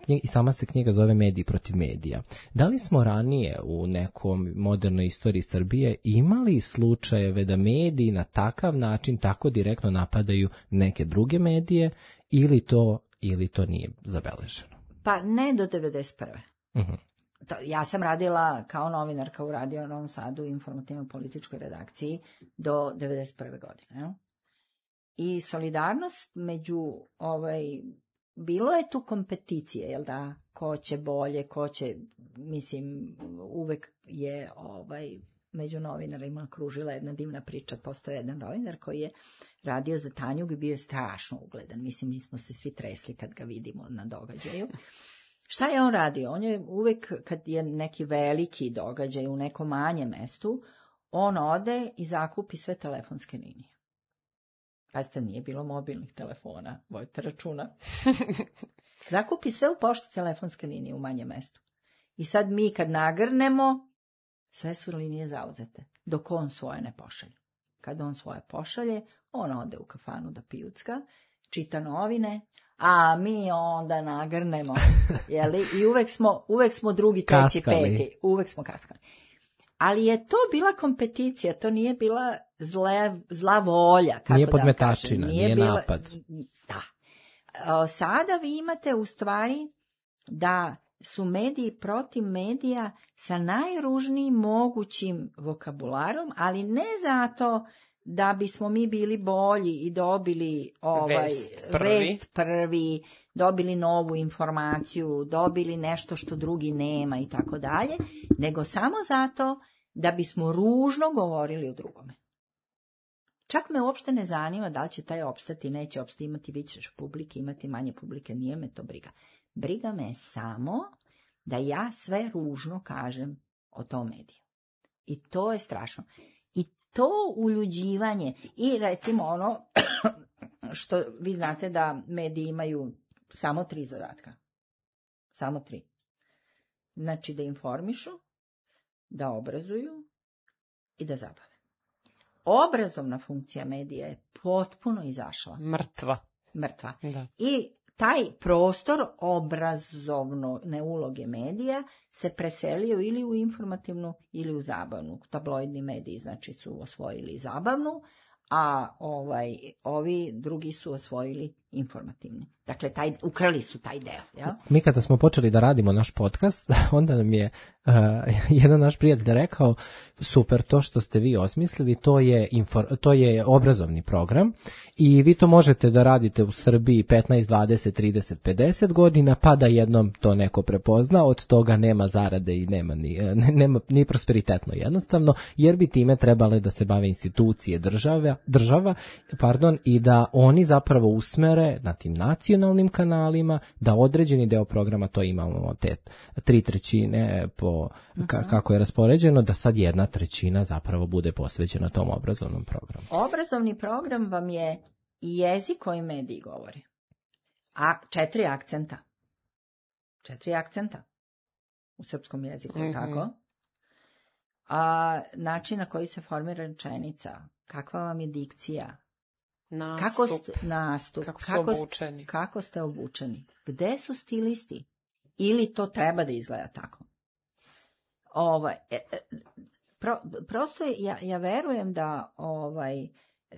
Speaker 1: I sama se knjiga zove Mediji protiv medija. Da li smo ranije u nekom modernoj istoriji Srbije imali slučajeve da mediji na takav način tako direktno napadaju neke druge medije ili to nije zabeleženo?
Speaker 3: Pa ne do 91. Ja sam radila kao novinarka u Radio Novom Sadu u informativno-političkoj redakciji do 91. godine. I solidarnost među bilo je tu kompeticije, jel da, ko će bolje, ko će, mislim, uvek je među novinarima kružila jedna divna priča. Postoje jedan novinar koji je radio za Tanjug i bio je strašno ugledan. Mislim, mi smo se svi tresli kad ga vidimo na događaju. Šta je on radio? On je uvek, kad je neki veliki događaj u nekom manjem mestu, on ode i zakupi sve telefonske linije. Pazite, nije bilo mobilnih telefona, vojte računa. Zakupi sve u pošti telefonske linije u manjem mestu. I sad mi kad nagrnemo, sve su linije zauzete, dok on svoje ne pošalje. kad on svoje pošalje, on ode u kafanu da pijucka, čita novine, a mi onda nagrnemo, jeli? I uvek smo drugi, treći, peti. Uvek smo kaskali. Ali je to bila kompeticija, to nije bila zla volja. Kako
Speaker 1: nije
Speaker 3: da
Speaker 1: podmetačina,
Speaker 3: kažem.
Speaker 1: nije napad.
Speaker 3: Da. Sada vi imate u stvari da su mediji protiv medija sa najružnijim mogućim vokabularom, ali ne zato da bismo mi bili bolji i dobili vest prvi, dobili novu informaciju, dobili nešto što drugi nema i tako dalje, nego samo zato da bismo ružno govorili o drugome. Čak me uopšte ne zanima da li će taj opstati, neće opstati, imati više publike, imati manje publike, nije me to briga. Briga me samo da ja sve ružno kažem o tom mediju. I to je strašno. I to uljuđivanje, i recimo ono što vi znate da mediji imaju samo 3 zadatka. Samo 3. Znači da informišu, da obrazuju i da zabave. Obrazovna funkcija medija je potpuno izašla.
Speaker 2: Mrtva.
Speaker 3: Da. I taj prostor obrazovne uloge medija se preselio ili u informativnu ili u zabavnu. Tabloidni mediji znači su osvojili zabavnu, a ovi drugi su osvojili informativni. Dakle, ukrali su taj deo. Ja?
Speaker 1: Mi kada smo počeli da radimo naš podcast, onda nam je jedan naš prijatelj rekao, super, to što ste vi osmislili, to je obrazovni program i vi to možete da radite u Srbiji 15, 20, 30, 50 godina, pa da jednom to neko prepozna, od toga nema zarade i nema ni prosperitetno jednostavno, jer bi time trebale da se bave institucije država, i da oni zapravo usmere na tim nacionalnim kanalima, da određeni deo programa, to imamo te 3/3 po kako je raspoređeno, da sad 1/3 zapravo bude posvećena tom obrazovnom programu.
Speaker 3: Obrazovni program vam je jezik koji mediji govore. A 4 akcenta. 4 akcenta u srpskom jeziku, tako? A način na koji se formira rečenica, kakva vam je dikcija, nastup, kako ste obučeni, gde su stilisti, ili to treba da izgleda tako. Prosto ja verujem da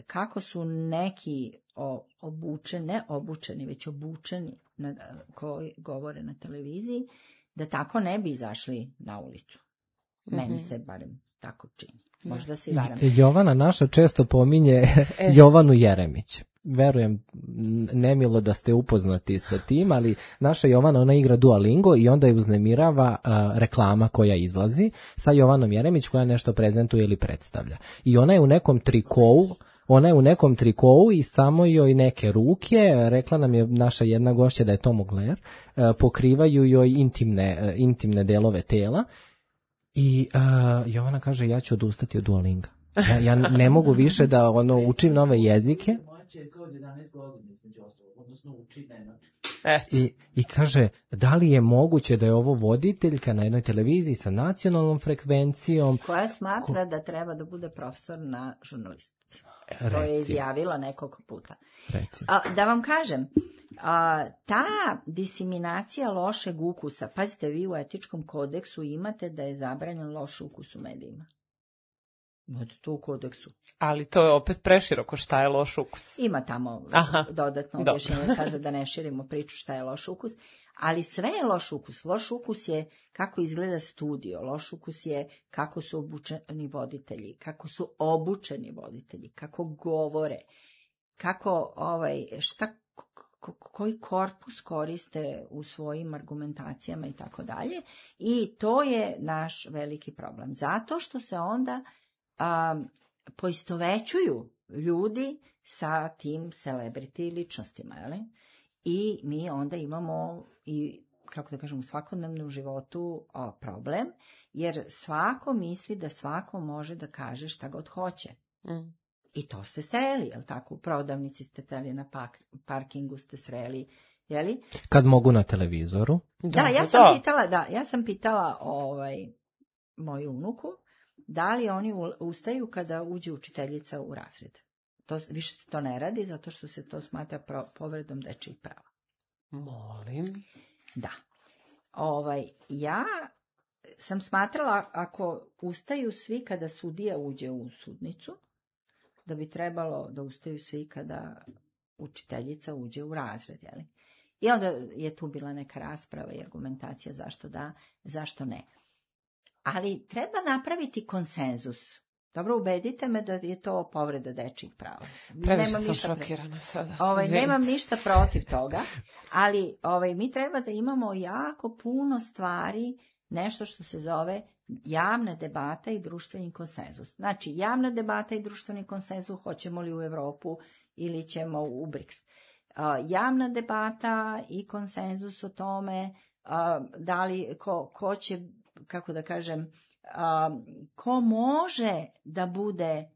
Speaker 3: kako su neki ne obučeni, već obučeni koji govore na televiziji, da tako ne bi izašli na ulicu. Meni se barem tako čini. Možda se i varam.
Speaker 1: Jovana naša često pominje Jovanu Jeremić. Verujem, nemilo da ste upoznati sa tim, ali naša Jovana, ona igra Duolingo i onda je uznemirava reklama koja izlazi sa Jovanom Jeremić koja nešto prezentuje ili predstavlja. I ona je u nekom trikou, i samo joj neke ruke, rekla nam je naša jedna gošća da je to Mugler, pokrivaju joj intimne delove tela. I Jovana kaže, ja ću odustati od Duolinga. Ja ne mogu više da učim nove jezike. I kaže, da li je moguće da je ovo voditeljka na jednoj televiziji sa nacionalnom frekvencijom
Speaker 3: koja smatra da treba da bude profesor na žurnalistici. To je izjavila nekoliko puta. Da vam kažem, ta diseminacija lošeg ukusa, pazite, vi u etičkom kodeksu imate da je zabranjen loš ukus u medijima. Imate to u kodeksu.
Speaker 2: Ali to je opet preširoko, šta je loš ukus?
Speaker 3: Ima tamo dodatno objašnjenje, sada da ne širimo priču šta je loš ukus, ali sve je loš ukus. Loš ukus je kako izgleda studio, loš ukus je kako su obučeni voditelji, kako govore, kako koji korpus koriste u svojim argumentacijama i tako dalje. I to je naš veliki problem. Zato što se onda poistovećuju ljudi sa tim celebrity ličnostima, jel? I mi onda imamo i, kako da kažem, u svakodnevnom životu problem, jer svako misli da svako može da kaže šta god hoće. I to ste sreli, jel tako? U prodavnici ste sreli, na parkingu ste sreli, jeli?
Speaker 1: Kad mogu na televizoru.
Speaker 3: Ja sam pitala moju unuku, da li oni ustaju kada uđe učiteljica u razred. Više se to ne radi, zato što se to smatra povredom dečijih prava.
Speaker 2: Molim.
Speaker 3: Da. Ja sam smatrala, ako ustaju svi kada sudija uđe u sudnicu, da bi trebalo da ustaju svi kada učiteljica uđe u razred. Jeli? I onda je tu bila neka rasprava i argumentacija zašto da, zašto ne. Ali treba napraviti konsenzus. Dobro, ubedite me da je to povreda dečjih prava.
Speaker 2: Previše sam šokirana sada.
Speaker 3: Nemam ništa protiv toga, ali mi treba da imamo jako puno stvari, nešto što se zove javna debata i društveni konsenzus. Znači, javna debata i društveni konsenzus, hoćemo li u Evropu ili ćemo u BRICS. Javna debata i konsenzus o tome da li ko će, kako da kažem, ko može da bude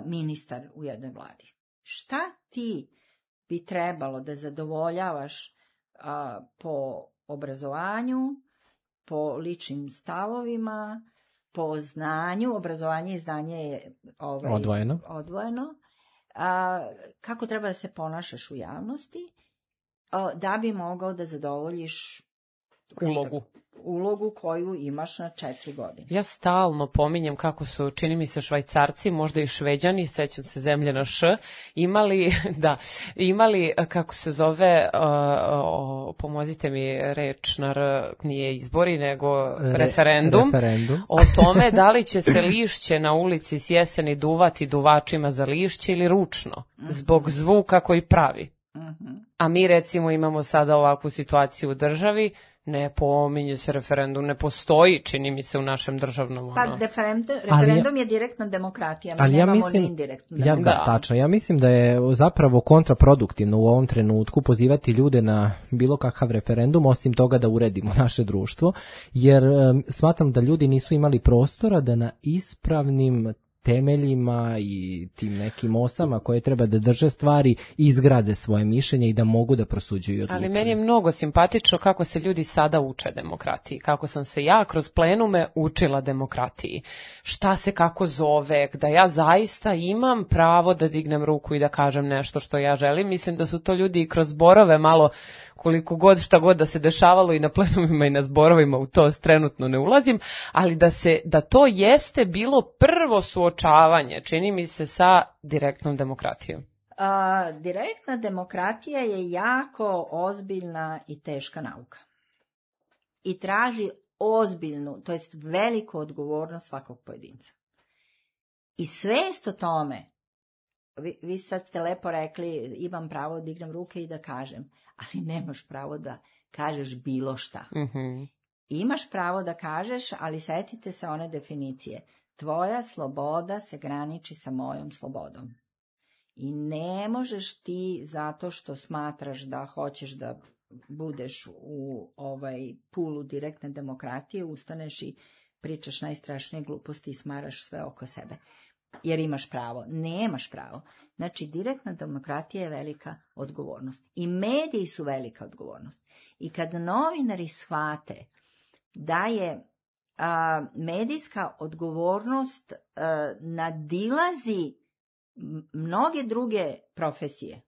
Speaker 3: ministar u jednoj vladi. Šta ti bi trebalo da zadovoljavaš po obrazovanju, po ličnim stavovima, po znanju, obrazovanje i znanje je odvojeno. Kako treba da se ponašaš u javnosti, da bi mogao da zadovoljiš ulogu koju imaš na 4 godine.
Speaker 2: Ja stalno pominjem kako su, čini mi se, Švajcarci, možda i Šveđani, sećam se zemlje na Š, imali, kako se zove, pomozite mi reč, nije izbori, nego referendum, o tome da li će se lišće na ulici s jeseni duvati duvačima za lišće ili ručno, zbog zvuka koji pravi. A mi recimo imamo sada ovakvu situaciju u državi, ne pominje se referendum, ne postoji, čini mi se, u našem državnom...
Speaker 3: Pa referendum je direktna demokratija, mi nemamo ni indirektnu demokratiju.
Speaker 1: Tačno, ja mislim da je zapravo kontraproduktivno u ovom trenutku pozivati ljude na bilo kakav referendum, osim toga da uredimo naše društvo, jer smatram da ljudi nisu imali prostora da na ispravnim temeljima i tim nekim osama koje treba da drže stvari izgrade svoje mišljenje i da mogu da prosuđuju i odlučuju.
Speaker 2: Ali meni je mnogo simpatično kako se ljudi sada uče demokratiji, kako sam se ja kroz plenume učila demokratiji. Šta se kako zove, da ja zaista imam pravo da dignem ruku i da kažem nešto što ja želim. Mislim da su to ljudi i kroz zborove malo, koliko god, šta god da se dešavalo i na plenumima i na zborovima, u to trenutno ne ulazim, ali da to jeste bilo prvo suočavanje, čini mi se, sa direktnom demokratijom.
Speaker 3: Direktna demokratija je jako ozbiljna i teška nauka. I traži ozbiljnu, to jest veliku odgovornost svakog pojedinca. I svest o tome, vi sad ste lepo rekli, imam pravo da dignem ruke i da kažem, ali nemaš pravo da kažeš bilo šta.
Speaker 2: Mm-hmm.
Speaker 3: Imaš pravo da kažeš, ali setite se one definicije. Tvoja sloboda se graniči sa mojom slobodom. I ne možeš ti, zato što smatraš da hoćeš da budeš u pulu direktne demokratije, ustaneš i pričaš najstrašnije gluposti i smaraš sve oko sebe. Jer imaš pravo. Nemaš pravo. Znači, direktna demokratija je velika odgovornost. I mediji su velika odgovornost. I kad novinari shvate da je medijska odgovornost nadilazi mnoge druge profesije.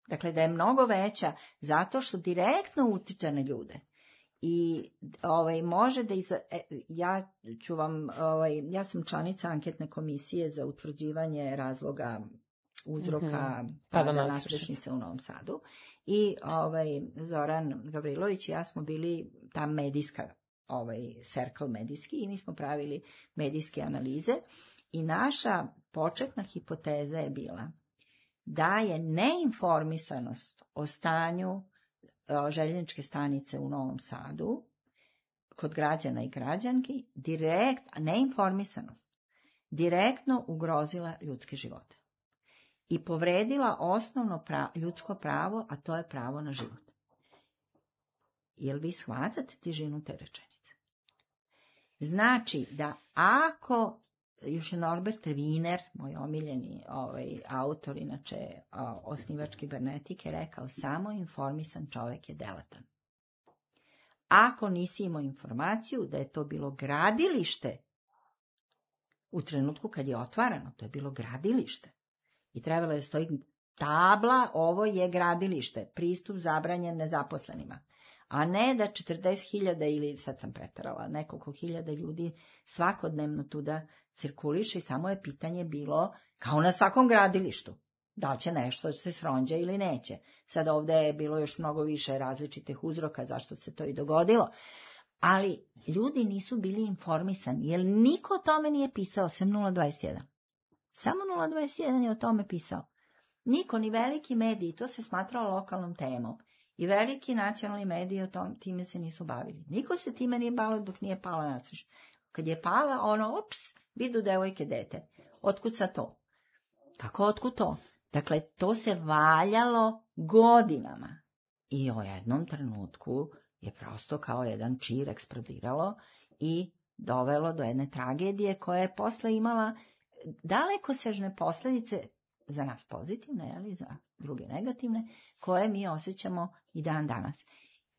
Speaker 3: Dakle, da je mnogo veća zato što direktno utiče na ljude. I može da ja sam članica anketne komisije za utvrđivanje razloga uzroka pada nadstrešnice u Novom Sadu. I Zoran Gavrilović i ja smo bili ta medijska circle medijski i mi smo pravili medijske analize i naša početna hipoteza je bila da je neinformisanost o stanju željezničke stanice u Novom Sadu kod građana i građanki neinformisanost direktno ugrozila ljudske živote i povredila osnovno ljudsko pravo, a to je pravo na život. Jel vi shvatate težinu te rečenice? Znači da ako, još je Norbert Wiener, moj omiljeni autor, inače osnivač kibernetike, rekao samo informisan čovjek je delatan. Ako nisi imao informaciju da je to bilo gradilište U trenutku kad je otvarano, to je bilo gradilište. I trebalo je stoji tabla, ovo je gradilište, pristup zabranjen nezaposlenima. A ne da 40.000 ili, sad sam pretarala, nekoliko hiljada ljudi svakodnevno tuda cirkuliše i samo je pitanje bilo, kao na svakom gradilištu, da li će nešto se sronđa ili neće. Sad ovdje je bilo još mnogo više različitih uzroka zašto se to i dogodilo. Ali ljudi nisu bili informisani, jer niko o tome nije pisao, sem 021. Samo 021 je o tome pisao. Niko, ni veliki mediji, to se smatralo lokalnom temom. I veliki nacionalni mediji time se nisu bavili. Niko se time nije bavio dok nije pala nasreš. Kad je pala, vidu devojke dete. Otkud sa to? Kako otkud to? Dakle, to se valjalo godinama. I u jednom trenutku je prosto kao jedan čir eksplodiralo i dovelo do jedne tragedije koja je posle imala dalekosežne posljedice za nas pozitivne, ali za druge negativne, koje mi osjećamo i dan danas.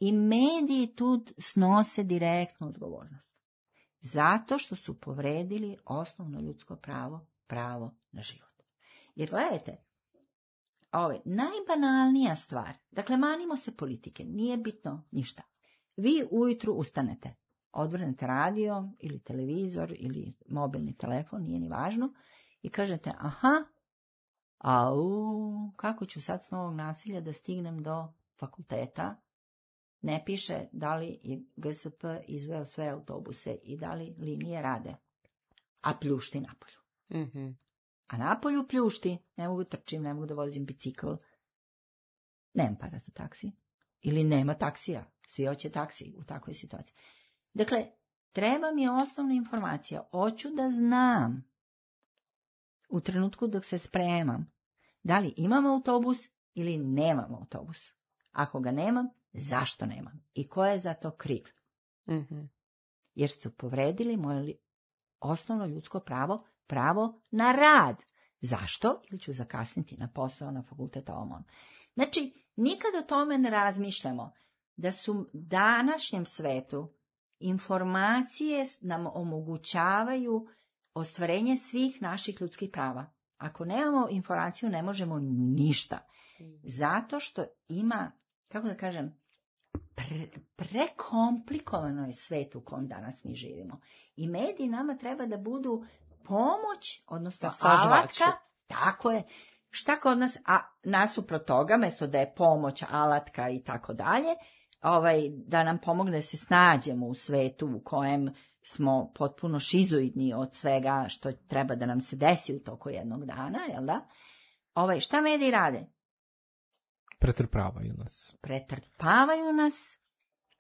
Speaker 3: I mediji tu snose direktnu odgovornost. Zato što su povredili osnovno ljudsko pravo, pravo na život. Jer gledajte, najbanalnija stvar, dakle manimo se politike, nije bitno ništa. Vi ujutru ustanete, odvrnete radio ili televizor ili mobilni telefon, nije ni važno, i kažete, kako ću sad s Novog Naselja da stignem do fakulteta? Ne piše da li je GSP izveo sve autobuse i da li linije rade. A pljušti napolju.
Speaker 2: Mm-hmm.
Speaker 3: A napolju pljušti, ne mogu trčim, ne mogu da vozim bicikl. Nemam para za taksi. Ili nema taksija. Svi hoće taksi u takvoj situaciji. Dakle, treba mi osnovna informacija. Hoću da znam u trenutku dok se spremam da li imam autobus ili nemam autobus. Ako ga nemam, zašto nemam? I ko je za to kriv?
Speaker 2: Mm-hmm. Jer
Speaker 3: su povredili moje osnovno ljudsko pravo, pravo na rad. Zašto? Ili ću zakasniti na posao, na fakultet, OMON. Znači, nikad o tome ne razmišljamo da su današnjem svetu informacije nam omogućavaju ostvarenje svih naših ljudskih prava. Ako nemamo informaciju, ne možemo ništa. Zato što ima, kako da kažem, prekomplikovano je svet u kom danas mi živimo. I mediji nama treba da budu pomoć, odnosno alatka. Tako je. Šta kod nas, a nasuprot toga, mesto da je pomoć, alatka i tako dalje, da nam pomogne da se snađemo u svetu u kojem smo potpuno šizoidni od svega što treba da nam se desi u toku jednog dana, jel da? Šta mediji rade? Pretrpavaju nas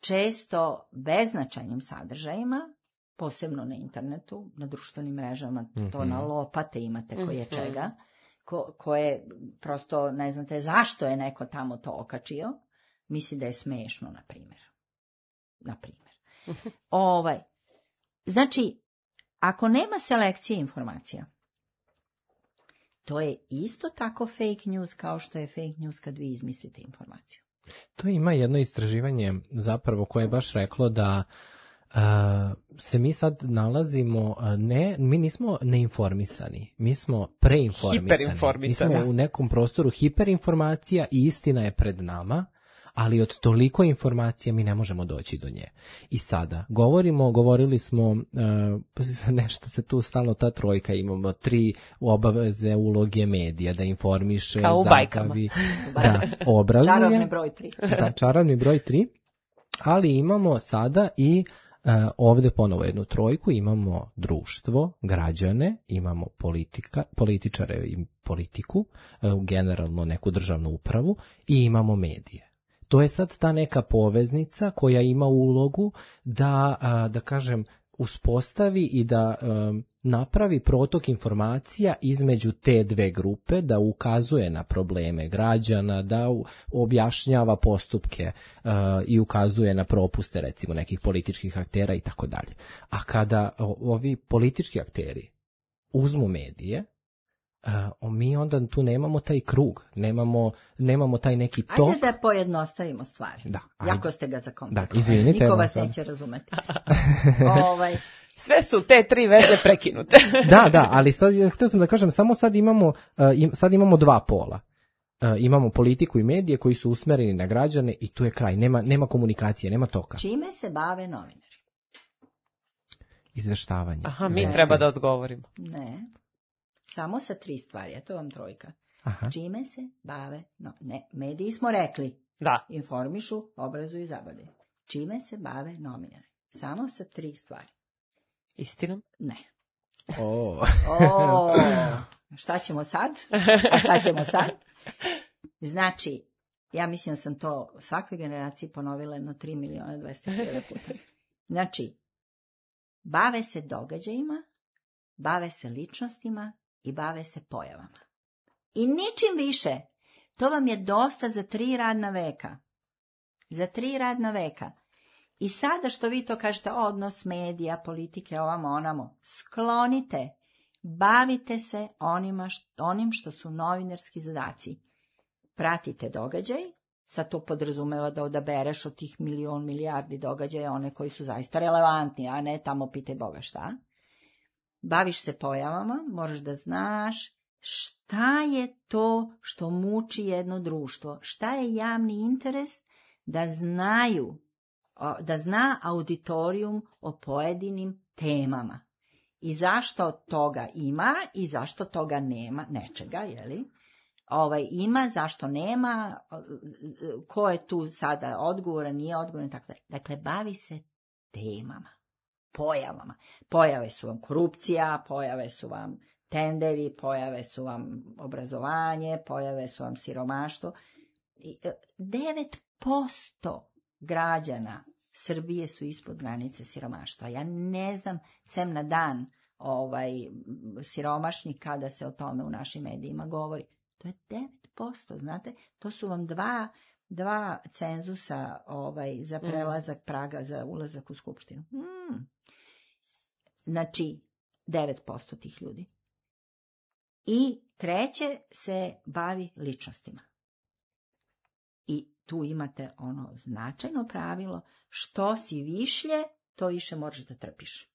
Speaker 3: često beznačajnim sadržajima, posebno na internetu, na društvenim mrežama, to na lopate imate koje čega, koje prosto ne znate zašto je neko tamo to okačio, misli da je smešno, na primjer. Znači, ako nema selekcije informacija, to je isto tako fake news kao što je fake news kad vi izmislite informaciju.
Speaker 1: To ima jedno istraživanje zapravo koje je baš reklo da se mi sad nalazimo, mi nismo neinformisani, mi smo preinformisani. Mi smo u nekom prostoru hiperinformacija i istina je pred nama, ali od toliko informacija mi ne možemo doći do nje. I sada govorili smo, nešto se tu stalno ta trojka, imamo 3 obaveze uloge medija, da informiše, zabavi, da obrazuje.
Speaker 3: Čarovni broj 3.
Speaker 1: Da, čarovni broj 3, ali imamo sada i ovdje ponovo jednu trojku, imamo društvo, građane, imamo političare i politiku, generalno neku državnu upravu i imamo medije. To je sad ta neka poveznica koja ima ulogu da kažem, uspostavi i da napravi protok informacija između te dve grupe, da ukazuje na probleme građana, da objašnjava postupke i ukazuje na propuste recimo nekih političkih aktera i tako dalje. A kada ovi politički akteri uzmu medije, mi onda tu nemamo taj krug, nemamo taj neki tok.
Speaker 3: Ajde da pojednostavimo stvari.
Speaker 1: Da,
Speaker 3: jako ste ga zakomplikovali.
Speaker 1: Da, izvinite.
Speaker 3: Niko vas neće razumeti.
Speaker 2: Sve su te 3 veze prekinute.
Speaker 1: Da, ali sad, htio sam da kažem, samo sad imamo dva pola. Imamo politiku i medije koji su usmereni na građane i tu je kraj. Nema komunikacije, nema toka.
Speaker 3: Čime se bave novinari?
Speaker 1: Izveštavanje.
Speaker 2: Aha, mi treba da odgovorimo.
Speaker 3: Ne. Samo sa 3 stvari, a to vam 3.
Speaker 1: Aha.
Speaker 3: Čime se bave? Ne, mediji smo rekli.
Speaker 2: Da.
Speaker 3: Informišu, obrazuju i zabavljaju. Čime se bave novinari? Samo sa 3 stvari.
Speaker 2: Istinom?
Speaker 3: Ne. Šta ćemo sad? A šta ćemo sad? Znači, ja mislim da sam to svakoj generaciji ponovila jedno 3.200.000 puta. Znači, bave se događajima, bave se ličnostima i bave se pojavama. I ničim više. To vam je dosta za 3 radna veka. Za 3 radna veka. I sada što vi to kažete, odnos medija, politike, ovamo, onamo, sklonite, bavite se onim što su novinarski zadaci. Pratite događaj, sad to podrazumeva da odabereš od tih milijardi događaja one koji su zaista relevantni, a ne tamo pitaj Boga šta. Baviš se pojavama, moraš da znaš šta je to što muči jedno društvo, šta je javni interes, da zna auditorijum o pojedinim temama. I zašto toga ima i zašto toga nema, nečega, jeli? Ima, zašto nema, ko je tu sada odgovoran, nije odgovoran, tako da. Dakle, bavi se temama, pojavama. Pojave su vam korupcija, pojave su vam tenderi, pojave su vam obrazovanje, pojave su vam siromaštvo. 9% građana Srbije su ispod granice siromaštva. Ja ne znam, sem na dan siromašni kada se o tome u našim medijima govori. To je 9%, znate, to su vam dva cenzusa za prelazak praga za ulazak u skupštinu. Znači, 9% tih ljudi. I 3. se bavi ličnostima. I tu imate ono značajno pravilo, što si višlje, to više možeš da trpiš.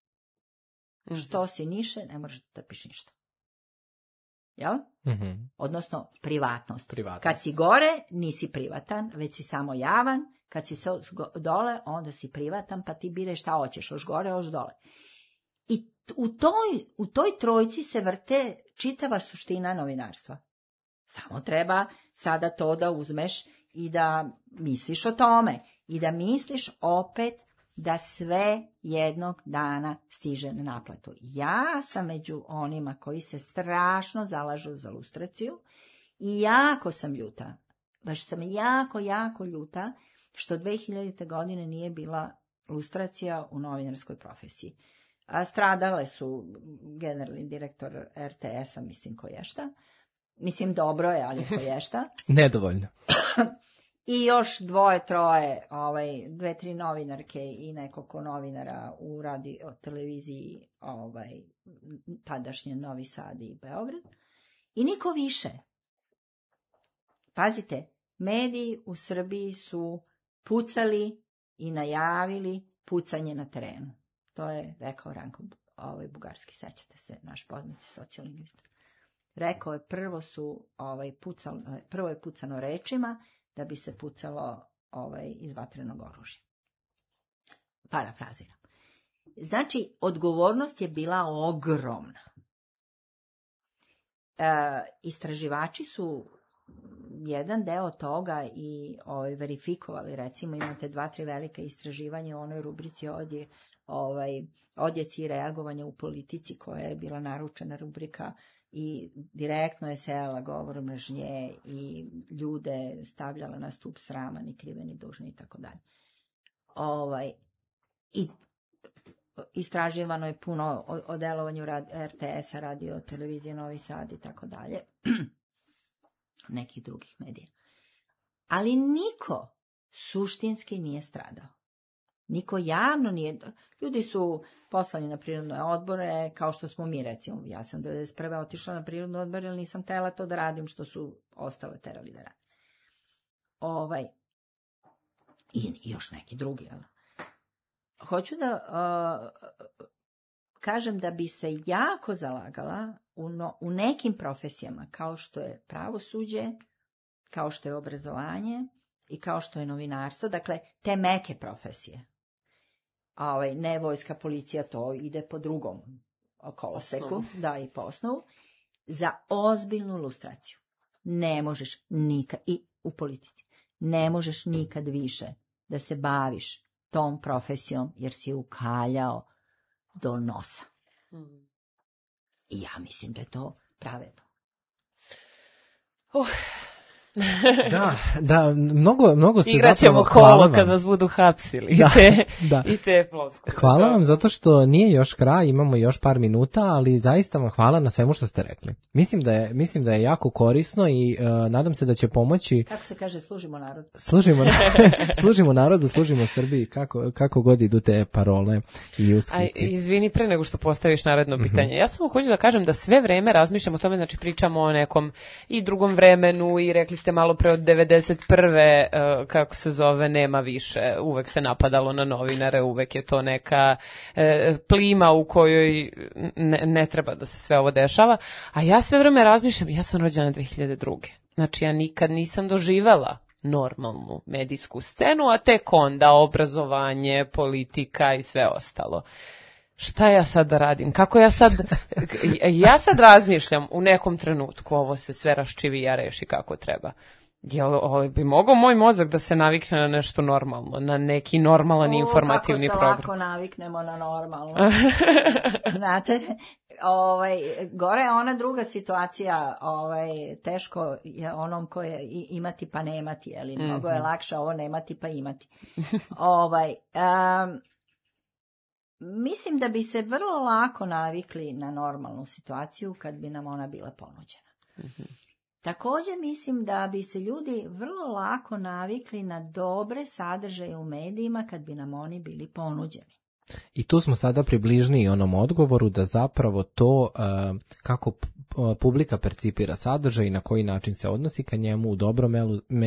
Speaker 3: Što si niže, ne možeš da trpiš ništa. Jel? Odnosno, privatnost. Kad si gore, nisi privatan, već si samo javan. Kad si dole, onda si privatan, pa ti biraj šta hoćeš, još gore, još dole. I u toj trojci se vrte čitava suština novinarstva. Samo treba sada to da uzmeš i da misliš o tome. I da misliš opet da sve jednog dana stiže na naplatu. Ja sam među onima koji se strašno zalažu za lustraciju i jako sam ljuta. Baš sam jako ljuta što 2000. godine nije bila lustracija u novinarskoj profesiji. A stradale su generalni direktor RTS-a, mislim koješta. Mislim dobro je, ali koješta.
Speaker 1: Nedovoljno.
Speaker 3: I još 2-3, 2-3 novinarke i nekoliko novinara u televiziji, tadašnje Novi Sad i Beograd. I niko više. Pazite, mediji u Srbiji su pucali i najavili pucanje na terenu. To je rekao Ranko Bugarski, sećate se, naš poznati sociolingvista. Rekao je, prvo je pucano rečima, da bi se pucalo iz vatrenog oružja. Parafraziram. Znači, odgovornost je bila ogromna. Istraživači su jedan deo toga i verifikovali. Recimo, imate 2-3 velike istraživanja u onoj rubrici odjeci i reagovanja u politici, koja je bila naručena rubrika i direktno je sejala govor mržnje i ljude stavljala na stup srama, ni krive ni dužne i tako dalje. I istraživano je puno o delovanju RTS-a, radio, televizije Novi Sad i tako dalje. Nekih drugih medija. Ali niko suštinski nije stradao. Niko javno nije. Ljudi su poslani na prirodne odbore, kao što smo mi, recimo. Ja sam 1991. otišla na prirodne odbore, ali nisam htjela to da radim, što su ostale terali da radim. I još neki drugi. Hoću da kažem da bi se jako zalagala u nekim profesijama, kao što je pravosuđe, kao što je obrazovanje i kao što je novinarstvo, dakle, te meke profesije. Ne vojska, policija, to ide po drugom koloseku, da, i po osnovu, za ozbiljnu lustraciju. Ne možeš nikad, i u politici, ne možeš nikad više da se baviš tom profesijom, jer si ukaljao do nosa. I ja mislim da je to pravedno.
Speaker 1: Da, mnogo ste
Speaker 2: Igraćemo kolo kad vas budu hapsili i te ploskove.
Speaker 1: Hvala vam zato što nije još kraj, imamo još par minuta, ali zaista vam hvala na svemu što ste rekli. Mislim da je jako korisno i nadam se da će pomoći.
Speaker 3: Kako se kaže, služimo narodu.
Speaker 1: Služimo narodu, služimo Srbiji, kako god idu te parole i usklici.
Speaker 2: Izvini, pre nego što postaviš naredno pitanje. Ja samo hoću da kažem da sve vreme razmišljam o tome, znači pričamo o nekom i drugom vremenu i rekli ste malo pre od 91. Kako se zove, nema više. Uvek se napadalo na novinare, uvek je to neka plima u kojoj ne treba da se sve ovo dešava. A ja sve vreme razmišljam, ja sam rođena 2002. Znači ja nikad nisam doživela normalnu medijsku scenu, a tek onda obrazovanje, politika i sve ostalo. Šta ja sad da radim? Kako ja sad razmišljam u nekom trenutku, ovo se sve raščivija, reši kako treba. Jel bi mogao moj mozak da se navikne na nešto normalno, na neki normalan informativni program?
Speaker 3: Kako se lako naviknemo na normalno. Znate, gore je ona druga situacija, teško je onom koje imati pa nemati, ali mnogo je lakše ovo nemati pa imati. Mislim da bi se vrlo lako navikli na normalnu situaciju kad bi nam ona bila ponuđena. Također mislim da bi se ljudi vrlo lako navikli na dobre sadržaje u medijima kad bi nam oni bili ponuđeni.
Speaker 1: I tu smo sada približni onom odgovoru da zapravo to kako publika percipira sadržaj i na koji način se odnosi ka njemu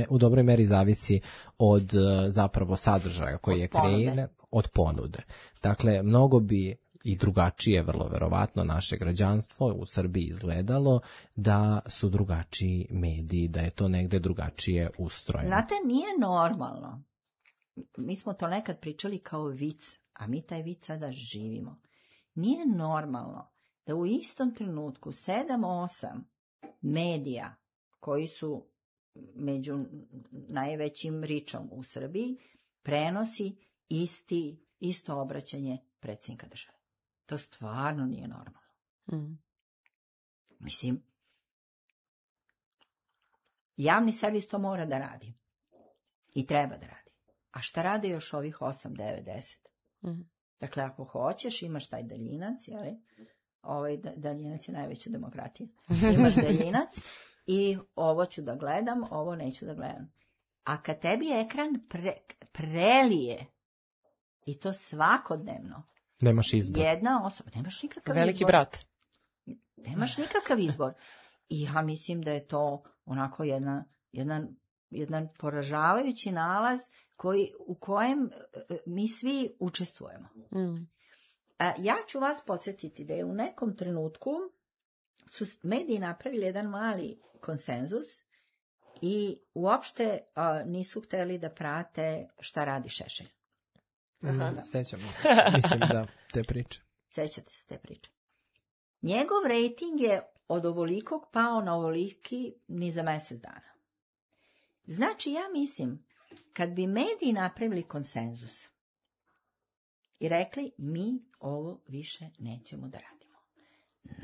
Speaker 1: u dobroj meri zavisi od zapravo sadržaja koji je kreiran, od ponude. Dakle, mnogo bi i drugačije, vrlo verovatno, naše građanstvo u Srbiji izgledalo da su drugačiji mediji, da je to negde drugačije ustrojeno.
Speaker 3: Znate, nije normalno. Mi smo to nekad pričali kao vic, a mi taj vic sada živimo. Nije normalno da u istom trenutku 7-8 medija koji su među najvećim ričom u Srbiji prenosi isto obraćanje predsjednika države. To stvarno nije normalno. Mislim, javni servis to mora da radi. I treba da radi. A šta rade još ovih 8, 9, 10? Dakle, ako hoćeš, imaš taj daljinac, jeli? Daljinac je najveća demokratija. Imaš daljinac i ovo ću da gledam, ovo neću da gledam. A kad tebi ekran prelije, i to svakodnevno,
Speaker 1: nemaš izbor.
Speaker 3: Jedna osoba, nemaš nikakav
Speaker 2: Veliki
Speaker 3: izbor.
Speaker 2: brat.
Speaker 3: Nemaš nikakav izbor. I ja mislim da je to onako jedan poražavajući nalaz u kojem mi svi učestvujemo. Ja ću vas podsjetiti da je u nekom trenutku su mediji napravili jedan mali konsenzus i uopšte nisu hteli da prate šta radi Šešelj.
Speaker 1: Sećamo. Mislim da te priče.
Speaker 3: Sećate se te priče. Njegov rejting je od ovolikog pao na ovoliki ni za mjesec dana. Znači, ja mislim, kad bi mediji napravili konsenzus i rekli, mi ovo više nećemo da radimo.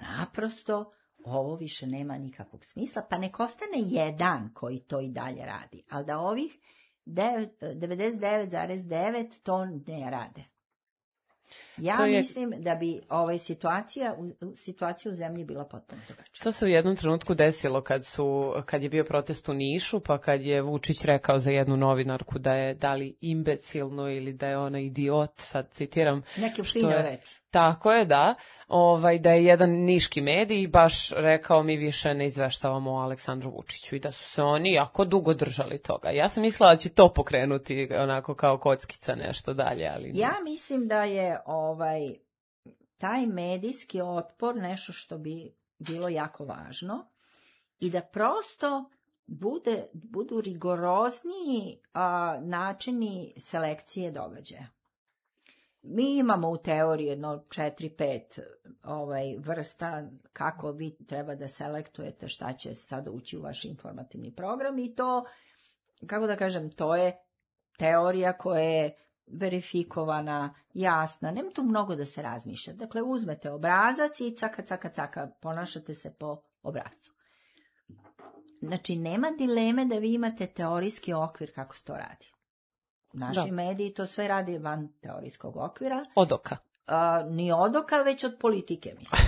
Speaker 3: Naprosto, ovo više nema nikakvog smisla, pa nek ostane jedan koji to i dalje radi, ali da ovih 99,9 to ne rade. Mislim da bi situacija u zemlji bila potpuno drugačija.
Speaker 2: To se u jednom trenutku desilo kad je bio protest u Nišu, pa kad je Vučić rekao za jednu novinarku da je da li imbecilno ili da je ona idiot, sad citiram.
Speaker 3: Neke fino reči.
Speaker 2: Tako je, da. Da je jedan niški medij baš rekao mi više ne izveštavamo o Aleksandru Vučiću i da su se oni jako dugo držali toga. Ja sam mislila da će to pokrenuti onako kao kockica nešto dalje, ali ne.
Speaker 3: Ja mislim da je taj medijski otpor nešto što bi bilo jako važno i da prosto budu rigorozniji načini selekcije događaja. Mi imamo u teoriji jedno 4-5 vrsta kako vi treba da selektujete šta će sada ući u vaš informativni program i to, kako da kažem, to je teorija koja je verifikovana, jasna, nema tu mnogo da se razmišlja. Dakle, uzmete obrazac i caka, ponašate se po obrazcu. Znači, nema dileme da vi imate teorijski okvir kako se to radi. Naši mediji to sve radi van teorijskog okvira.
Speaker 2: Od oka.
Speaker 3: Ni od oka, već od politike, mislim.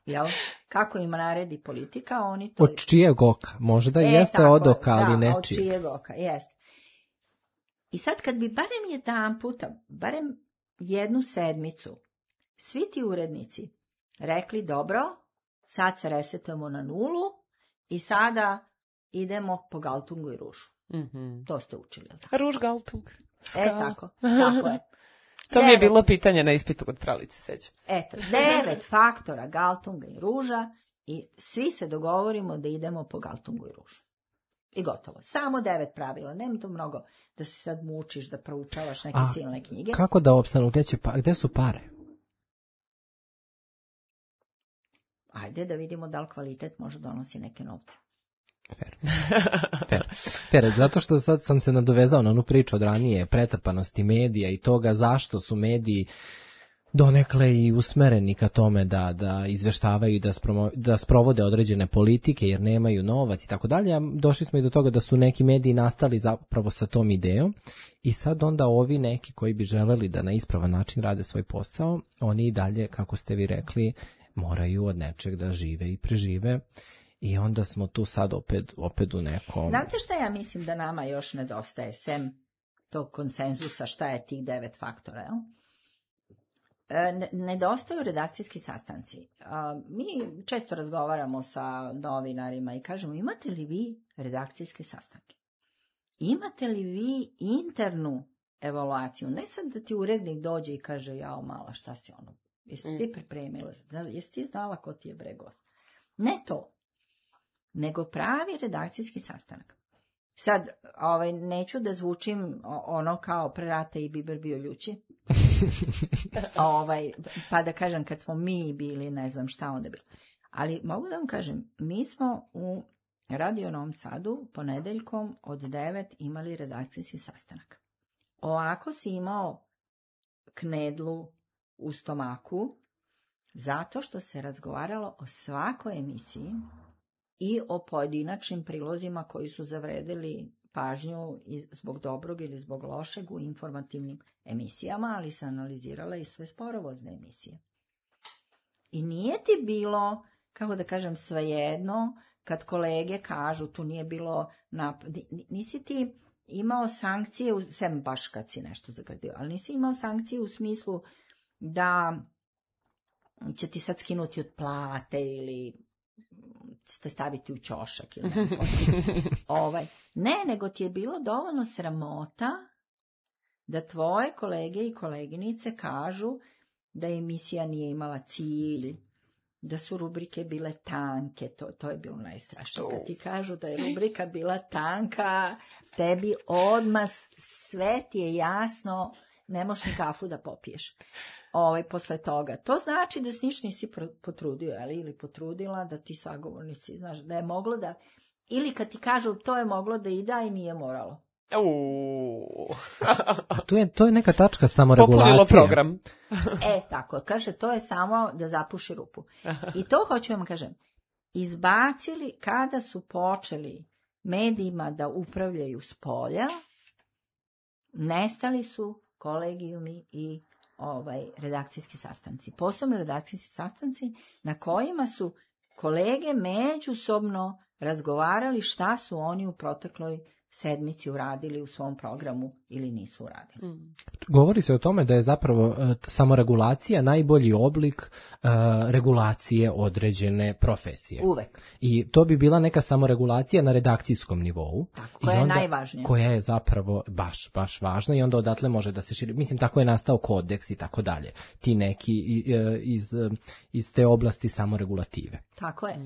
Speaker 3: Jel? Kako im naredi politika, oni to...
Speaker 1: Od čijeg oka? Možda jeste od oka, ali nečijeg.
Speaker 3: Od čijeg oka, jeste. I sad kad bi barem jedan puta, barem jednu sedmicu, svi ti urednici rekli, dobro, sad se resetujemo na 0 i sada idemo po Galtungu i Ružu.
Speaker 2: Mm-hmm.
Speaker 3: To ste učili.
Speaker 2: Ruž, Galtung. Skala.
Speaker 3: Tako je.
Speaker 2: To mi je bilo pitanje na ispitu kod Pralice, sećam se.
Speaker 3: 9 faktora Galtunga i Ruža i svi se dogovorimo da idemo po Galtungu i Ružu. I gotovo. Samo 9 pravila. Nema to mnogo da se sad mučiš, da proučavaš neke silne knjige.
Speaker 1: Kako da opstanu? Gde su pare?
Speaker 3: Ajde da vidimo da li kvalitet može donosi neke novce.
Speaker 1: Fair. Zato što sad sam se nadovezao na onu priču od ranije, pretrpanosti medija i toga zašto su mediji donekle i usmereni ka tome da izveštavaju i da sprovode određene politike jer nemaju novac i tako dalje. Došli smo i do toga da su neki mediji nastali zapravo sa tom idejom i sad onda ovi neki koji bi želeli da na ispravan način rade svoj posao, oni i dalje, kako ste vi rekli, moraju od nečeg da žive i prežive. I onda smo tu sad opet u nekom...
Speaker 3: Znate šta ja mislim da nama još nedostaje, sem tog konsenzusa šta je tih 9 faktora, jel? Nedostaju redakcijski sastanci. Mi često razgovaramo sa novinarima i kažemo, imate li vi redakcijske sastanke? Imate li vi internu evaluaciju? Ne sad da ti urednik dođe i kaže, jao mala, šta si ono? Jesi ti pripremila? Jesi ti znala ko ti je bre gost? Ne to. Nego pravi redakcijski sastanak. Sad, neću da zvučim ono kao pre rata i biber bio ljući. Pa da kažem kad smo mi bili, ne znam šta onda bilo. Ali mogu da vam kažem, mi smo u Radio Novom Sadu ponedeljkom od 9 imali redakcijski sastanak. Ovako si imao knedlu u stomaku, zato što se razgovaralo o svakoj emisiji i o pojedinačnim prilozima koji su zavredili pažnju zbog dobrog ili zbog lošeg u informativnim emisijama, ali se analizirala i sve sporovozne emisije. I nije ti bilo, kako da kažem, svejedno, kad kolege kažu, tu nije bilo, nisi ti imao sankcije, sem baš kad si nešto zagradio, ali nisi imao sankcije u smislu da će ti sad skinuti od plate ili ćete staviti u ćošak ili ne, nego ti je bilo dovoljno sramota da tvoje kolege i koleginice kažu da emisija nije imala cilj, da su rubrike bile tanke, to je bilo najstrašnije. Kad ti kažu da je rubrika bila tanka, tebi odmah sve ti je jasno, ne možeš ni kafu da popiješ. Posle toga. To znači da niš nisi potrudio, ili potrudila da ti sagovornici, znaš, da je moglo da, ili kad ti kažu to je moglo da i da i nije moralo.
Speaker 1: A to je neka tačka samoregulacije.
Speaker 2: Popunilo program.
Speaker 3: Tako, kaže, to je samo da zapuši rupu. I to hoću vam kažem, izbacili kada su počeli medijima da upravljaju s polja, nestali su kolegijumi i redakcijski sastanci. Posebno redakcijski sastanci na kojima su kolege međusobno razgovarali šta su oni u protekloj sedmici uradili u svom programu ili nisu uradili.
Speaker 1: Govori se o tome da je zapravo samoregulacija najbolji oblik regulacije određene profesije.
Speaker 3: Uvek.
Speaker 1: I to bi bila neka samoregulacija na redakcijskom nivou.
Speaker 3: Tako, koja je najvažnija.
Speaker 1: Koja je zapravo baš važna i onda odatle može da se širi. Mislim, tako je nastao kodeks i tako dalje. Ti neki iz te oblasti samoregulative.
Speaker 3: Tako je.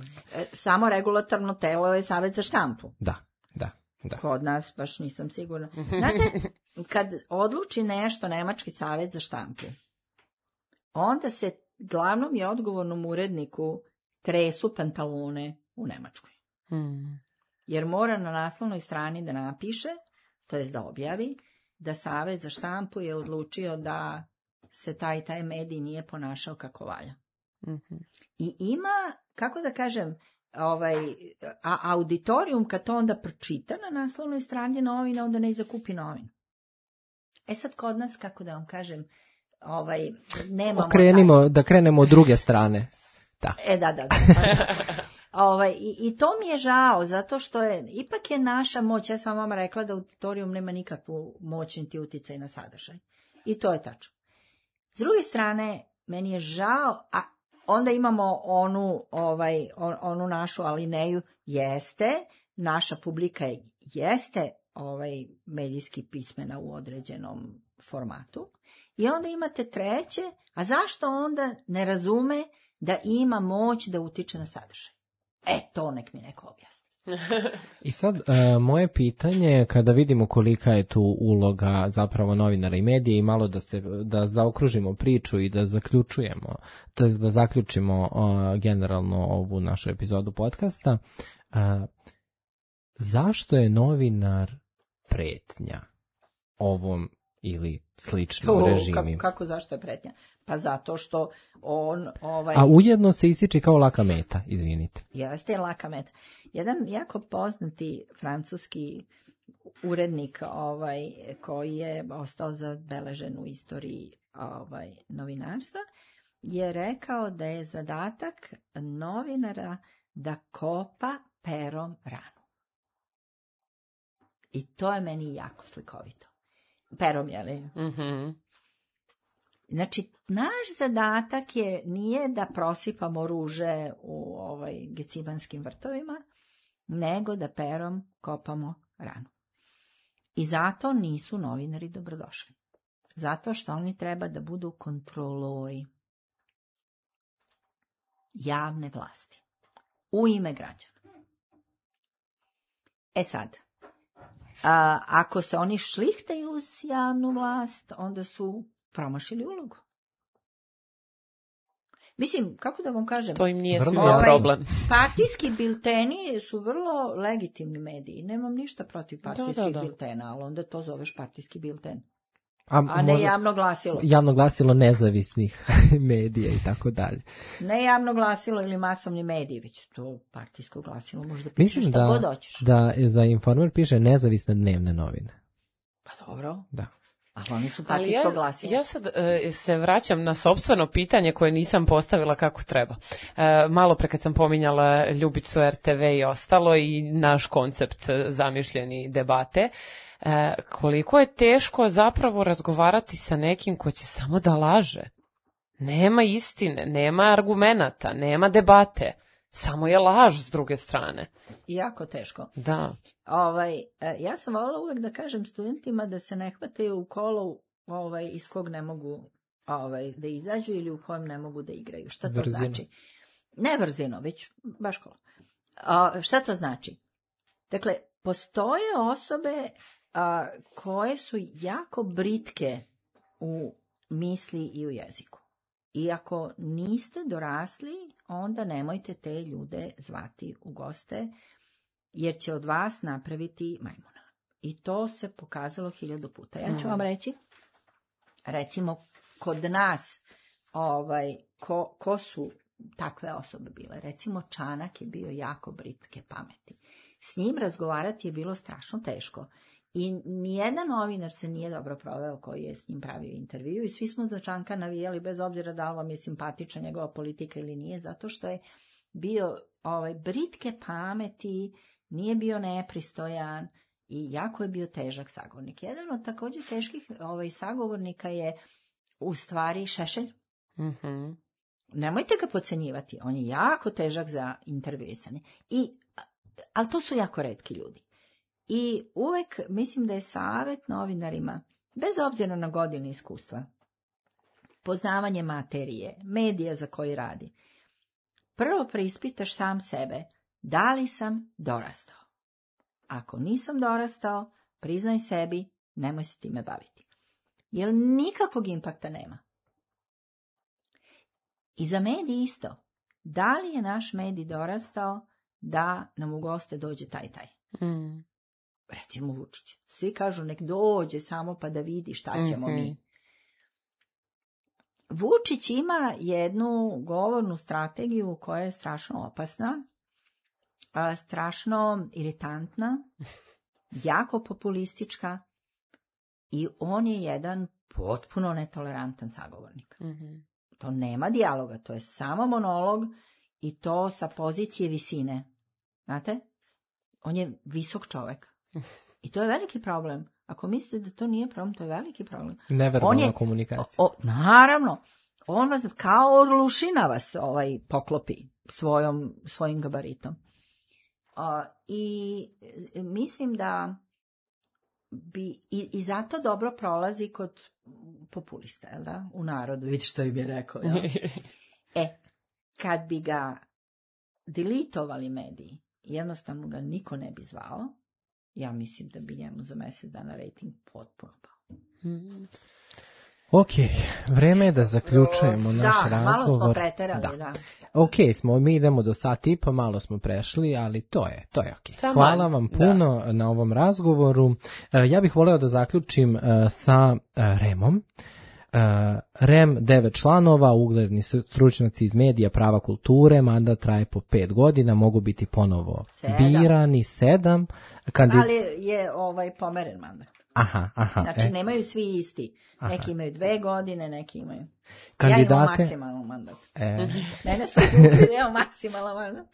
Speaker 3: Samoregulatorno telo je Savet za štampu.
Speaker 1: Da.
Speaker 3: Kod nas baš nisam sigurna. Znate, kad odluči nešto Nemački savet za štampu, onda se glavnom i odgovornom uredniku tresu pantalone u Nemačkoj. Jer mora na naslovnoj strani da napiše, to jest da objavi, da Savet za štampu je odlučio da se taj medij nije ponašao kako valja. I ima, kako da kažem, auditorijum kad to onda pročita na naslovnoj strani novina, onda ne i zakupi novinu. Sad kod nas, kako da vam kažem, nemamo...
Speaker 1: Da krenemo od druge strane. Da.
Speaker 3: Da. I to mi je žao, zato što ipak je naša moć, ja sam vam rekla da auditorijum nema nikakvu moć niti uticaj na sadržaj. I to je tačno. S druge strane, meni je žao, a onda imamo onu našu alineju, naša publika jeste medijski pismena u određenom formatu. I onda imate treće, a zašto onda ne razume da ima moć da utiče na sadržaj? To nek mi neko objasni.
Speaker 1: I sad, moje pitanje, kada vidimo kolika je tu uloga zapravo novinara i medija i malo da zaokružimo priču i da zaključujemo, to jest da zaključimo generalno ovu našu epizodu podcasta, zašto je novinar pretnja ovom ili sličnim režimima?
Speaker 3: Kako zašto je pretnja? Pa zato što on...
Speaker 1: A ujedno se ističe kao laka meta, izvinite.
Speaker 3: Jeste laka meta. Jedan jako poznati francuski urednik koji je ostao zabeležen u istoriji novinarstva je rekao da je zadatak novinara da kopa perom ranu. I to je meni jako slikovito. Perom, je li? Znači, naš zadatak nije da prosipamo ruže u gecibanskim vrtovima, nego da perom kopamo ranu. I zato nisu novinari dobrodošli. Zato što oni treba da budu kontrolori javne vlasti u ime građana. Sad, ako se oni šlihtaju uz javnu vlast, onda su promašili ulogu. Mislim, kako da vam kažem?
Speaker 2: To im nije svima problem.
Speaker 3: Partijski bilteni su vrlo legitimni mediji. Nemam ništa protiv partijskih biltena, ali onda to zoveš partijski bilten. A ne javno glasilo.
Speaker 1: Javno glasilo nezavisnih medija i tako dalje.
Speaker 3: Ne javno glasilo ili masovni mediji, već to partijsko glasilo može da piše šta god hoćeš.
Speaker 1: Da za Informer piše nezavisne dnevne novine.
Speaker 3: Pa dobro.
Speaker 1: Da.
Speaker 3: Ali oni su partijsko glasilo.
Speaker 2: Ja sad se vraćam na sopstveno pitanje koje nisam postavila kako treba. Malo pre kad sam pominjala Ljubicu RTV i ostalo i naš koncept zamišljeni debate, koliko je teško zapravo razgovarati sa nekim ko će samo da laže. Nema istine, nema argumenata, nema debate. Samo je laž s druge strane.
Speaker 3: Jako teško.
Speaker 2: Da.
Speaker 3: Ja sam voljela uvek da kažem studentima da se ne hvataju u kolo iz kog ne mogu da izađu ili u kojem ne mogu da igraju. Šta to znači? Ne vrzino, već baš kolo. Šta to znači? Dakle, postoje osobe koje su jako britke u misli i u jeziku. I ako niste dorasli, onda nemojte te ljude zvati u goste, jer će od vas napraviti majmuna. I to se pokazalo 1000 puta. Ja ću vam reći, recimo, kod nas, ko su takve osobe bile. Recimo, Čanak je bio jako britke pameti. S njim razgovarati je bilo strašno teško. I nijedan novinar se nije dobro proveo koji je s njim pravio intervju i svi smo za Čanka navijali bez obzira da li vam je simpatična njegova politika ili nije, zato što je bio britke pameti, nije bio nepristojan i jako je bio težak sagovornik. Jedan od također teških sagovornika je u stvari Šešelj.
Speaker 2: Mhm.
Speaker 3: Nemojte ga podcenjivati, on je jako težak za intervjuisanje. Ali to su jako retki ljudi. I uvek mislim da je savjet novinarima, bez obzira na godine iskustva, poznavanje materije, medija za koji radi, prvo preispitaš sam sebe, da li sam dorastao. Ako nisam dorastao, priznaj sebi, nemoj se time baviti. Jer nikakvog impakta nema. I za medij isto. Da li je naš medij dorastao da nam u goste dođe taj? Recimo Vučić. Svi kažu nek dođe samo pa da vidi šta ćemo mi. Vučić ima jednu govornu strategiju koja je strašno opasna, strašno iritantna, jako populistička i on je jedan potpuno netolerantan sagovornik. To nema dijaloga, to je samo monolog i to sa pozicije visine. Znate? On je visok čovek. I to je veliki problem. Ako mislite da to nije problem, to je veliki problem.
Speaker 1: Neverbalna komunikacija.
Speaker 3: Naravno. On vas kao orlušina vas poklopi svojim gabaritom. I mislim da bi i zato dobro prolazi kod populista, jel da? U narodu, vidi što im je rekao. Jel? Kad bi ga deletovali mediji, jednostavno ga niko ne bi zvao, ja mislim da bi njemu za mjesec dana rating potpuno pao.
Speaker 1: Ok, vreme je da zaključujemo naš razgovor.
Speaker 3: Malo smo preterali, da.
Speaker 1: Ok, mi idemo do sat i pa, malo smo prešli, ali to je ok. Hvala vam puno na ovom razgovoru. Ja bih voleo da zaključim sa REM-om. REM 9 članova, ugledni stručnjaci iz medija, prava, kulture, mandat traje po 5 godina, mogu biti ponovo birani, 7.
Speaker 3: Ali je pomeren mandat.
Speaker 1: Aha.
Speaker 3: Znači, nemaju svi isti. Neki imaju 2 godine, neki imaju...
Speaker 1: Kandidate...
Speaker 3: Ja imam maksimalan mandat. Mene su kupili da imam maksimalan mandat.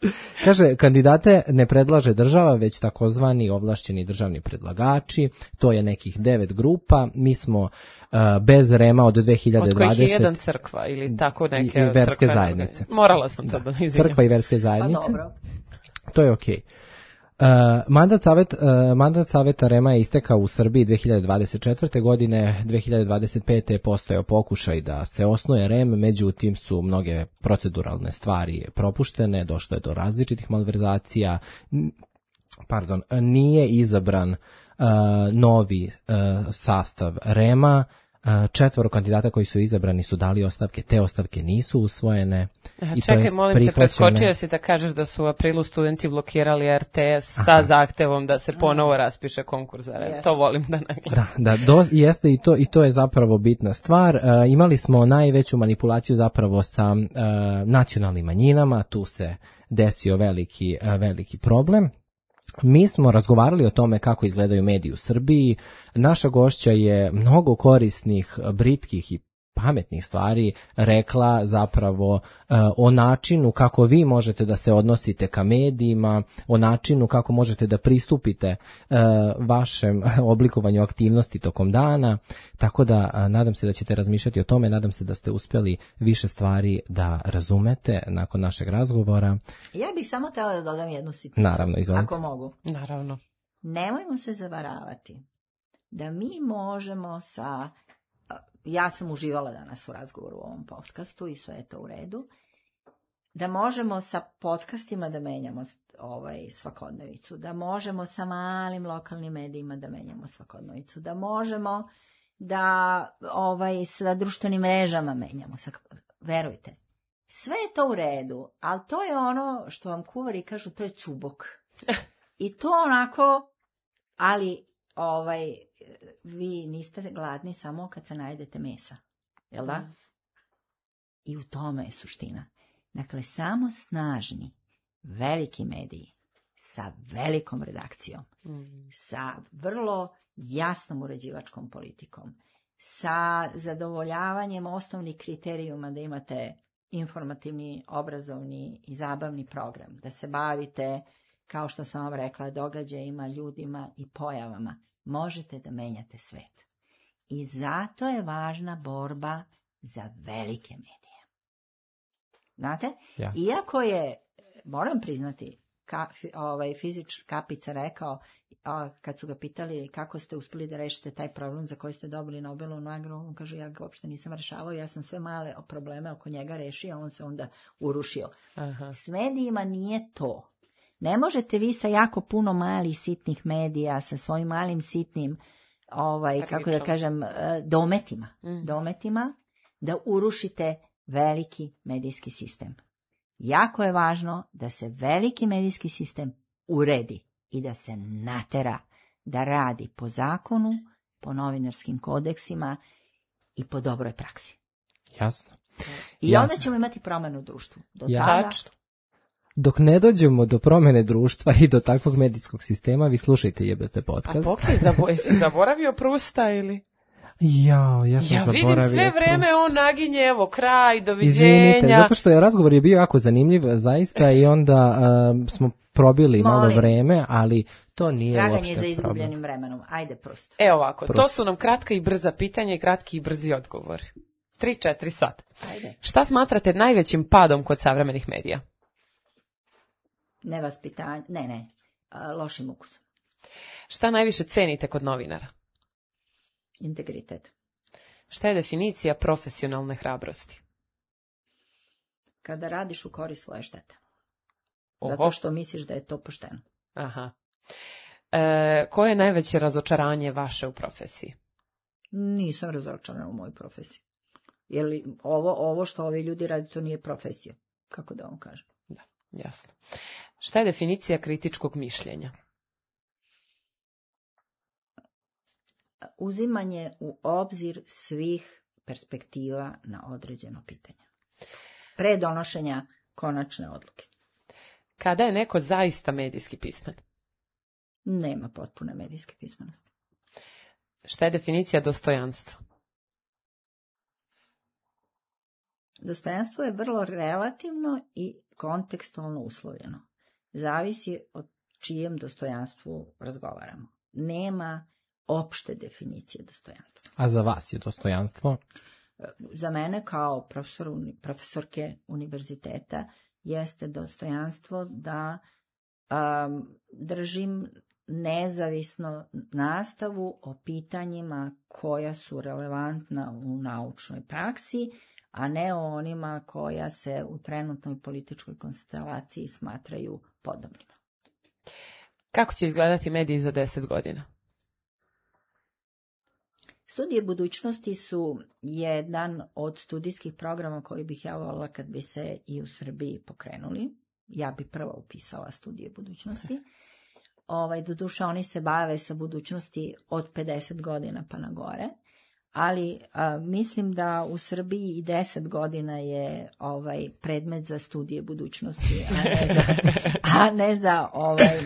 Speaker 1: Kaže, kandidate ne predlaže država, već takozvani ovlašćeni državni predlagači. To je nekih 9 grupa. Mi smo bez REM-a od 2020...
Speaker 2: Od kojih je jedan crkva ili tako neke...
Speaker 1: I verske zajednice.
Speaker 2: Morala sam to da izvinjam.
Speaker 1: Crkva i verske zajednice.
Speaker 3: Pa dobro.
Speaker 1: To je okej. Mandat savjeta REM-a je istekao u Srbiji 2024. godine, 2025. je postojao pokušaj da se osnuje REM, međutim su mnoge proceduralne stvari propuštene, došlo je do različitih malverzacija, nije izabran novi sastav REM-a, 4 kandidata koji su izabrani su dali ostavke, te ostavke nisu usvojene.
Speaker 2: Čekaj, molim te, preskočio si da kažeš da su u aprilu studenti blokirali RTS sa zahtevom da se ponovo raspiše konkurs za REM. To volim da naglasim.
Speaker 1: Jeste i to je zapravo bitna stvar. Imali smo najveću manipulaciju zapravo sa nacionalnim manjinama, tu se desio veliki problem. Mi smo razgovarali o tome kako izgledaju mediji u Srbiji. Naša gošća je mnogo korisnih, britkih i pametnih stvari rekla zapravo o načinu kako vi možete da se odnosite ka medijima, o načinu kako možete da pristupite vašem oblikovanju aktivnosti tokom dana, tako da nadam se da ćete razmišljati o tome, nadam se da ste uspjeli više stvari da razumete nakon našeg razgovora.
Speaker 3: Ja bih samo htjela da dodam jednu sitnicu.
Speaker 1: Naravno, izvolite.
Speaker 3: Ako mogu.
Speaker 2: Naravno.
Speaker 3: Nemojmo se zavaravati da mi možemo sa... Ja sam uživala danas u razgovoru u ovom podcastu i sve je to u redu. Da možemo sa podcastima da menjamo svakodnevicu, da možemo sa malim lokalnim medijima da menjamo svakodnevicu, da možemo da sa društvenim mrežama menjamo. Verujte, sve je to u redu, ali to je ono što vam kuvari kažu, to je cubok. I to onako, ali vi niste gladni samo kad se najedete mesa, jel da? I u tome je suština. Dakle, samo snažni, veliki mediji, sa velikom redakcijom, sa vrlo jasnom uređivačkom politikom, sa zadovoljavanjem osnovnih kriterijuma da imate informativni, obrazovni i zabavni program, da se bavite kao što sam vam rekla, događajima, ljudima i pojavama, možete da menjate svet. I zato je važna borba za velike medije. Znate?
Speaker 1: Yes.
Speaker 3: Iako je, moram priznati, fizičar Kapica rekao, kad su ga pitali kako ste uspeli da rešite taj problem za koji ste dobili Nobelovu nagradu, on kaže, ja ga uopšte nisam rešavao, ja sam sve male probleme oko njega rešio, a on se onda urušio.
Speaker 2: Aha.
Speaker 3: S medijima nije to. Ne možete vi sa jako puno malih sitnih medija, sa svojim malim sitnim, kako da kažem, dometima, da urušite veliki medijski sistem. Jako je važno da se veliki medijski sistem uredi i da se natera da radi po zakonu, po novinarskim kodeksima i po dobroj praksi.
Speaker 1: Jasno.
Speaker 3: I onda ćemo imati promenu u društvu.
Speaker 1: Dok ne dođemo do promene društva i do takvog medijskog sistema, vi slušajte Jebete podcast.
Speaker 2: A si zaboravio Prusta ili?
Speaker 1: Ja sam zaboravio.
Speaker 2: Ja vidim sve vreme on naginje, evo kraj, doviđenja.
Speaker 1: Izvinite, zato što je razgovor je bio jako zanimljiv zaista i onda smo probili malo vreme, ali to nije uopšte problem.
Speaker 3: Traganje za izgubljenim vremenom. Ajde, Prust.
Speaker 2: Evo ovako, to su nam kratka i brza pitanja i kratki i brzi odgovori. 3-4 sata.
Speaker 3: Ajde.
Speaker 2: Šta smatrate najvećim padom kod savremenih medija?
Speaker 3: Nevaspitanje, lošim ukusom.
Speaker 2: Šta najviše cenite kod novinara?
Speaker 3: Integritet.
Speaker 2: Šta je definicija profesionalne hrabrosti?
Speaker 3: Kada radiš u korist svoje štete.
Speaker 2: Oho.
Speaker 3: Zato što misliš da je to pošteno.
Speaker 2: Aha. Koje je najveće razočaranje vaše u profesiji?
Speaker 3: Nisam razočarana u mojoj profesiji. Jer ovo što ovi ljudi radi, to nije profesija. Kako da vam kažem?
Speaker 2: Da, jasno. Šta je definicija kritičkog mišljenja?
Speaker 3: Uzimanje u obzir svih perspektiva na određeno pitanje. Pre donošenja konačne odluke.
Speaker 2: Kada je neko zaista medijski pismen?
Speaker 3: Nema potpune medijske pismenosti.
Speaker 2: Šta je definicija dostojanstva?
Speaker 3: Dostojanstvo je vrlo relativno i kontekstualno uslovljeno. Zavisi od čijem dostojanstvu razgovaramo. Nema opšte definicije dostojanstva.
Speaker 1: A za vas je dostojanstvo?
Speaker 3: Za mene kao profesorke univerziteta jeste dostojanstvo da držim nezavisno nastavu o pitanjima koja su relevantna u naučnoj praksi, a ne o onima koja se u trenutnoj političkoj konstelaciji smatraju podobnima.
Speaker 2: Kako će izgledati mediji za 10 godina?
Speaker 3: Studije budućnosti su jedan od studijskih programa koji bih ja voljela kad bi se i u Srbiji pokrenuli. Ja bi prvo upisala studije budućnosti. Doduše, oni se bave sa budućnosti od 50 godina pa na gore, ali mislim da u Srbiji i 10 godina je predmet za studije budućnosti, a ne za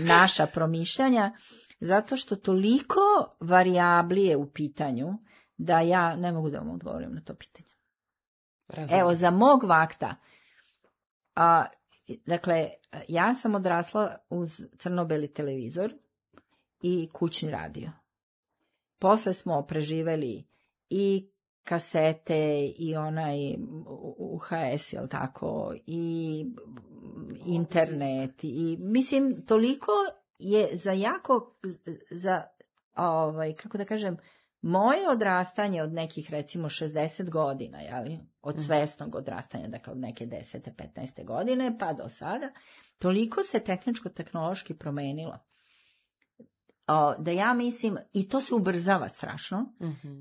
Speaker 3: naša promišljanja. Zato što toliko varijabli je u pitanju da ja ne mogu da vam odgovorim na to pitanje.
Speaker 2: Razumem.
Speaker 3: Evo, za mog vakta, dakle, ja sam odrasla uz crno-beli televizor i kućni radio. Posle smo preživeli i kasete i onaj UHS, jel tako, i internet, i mislim, toliko je kako da kažem, moje odrastanje od nekih recimo 60 godina, jeli, od svesnog odrastanja, dakle od neke 10. 15. godine pa do sada, toliko se tehničko-tehnološki promenilo. Da ja mislim, i to se ubrzava strašno,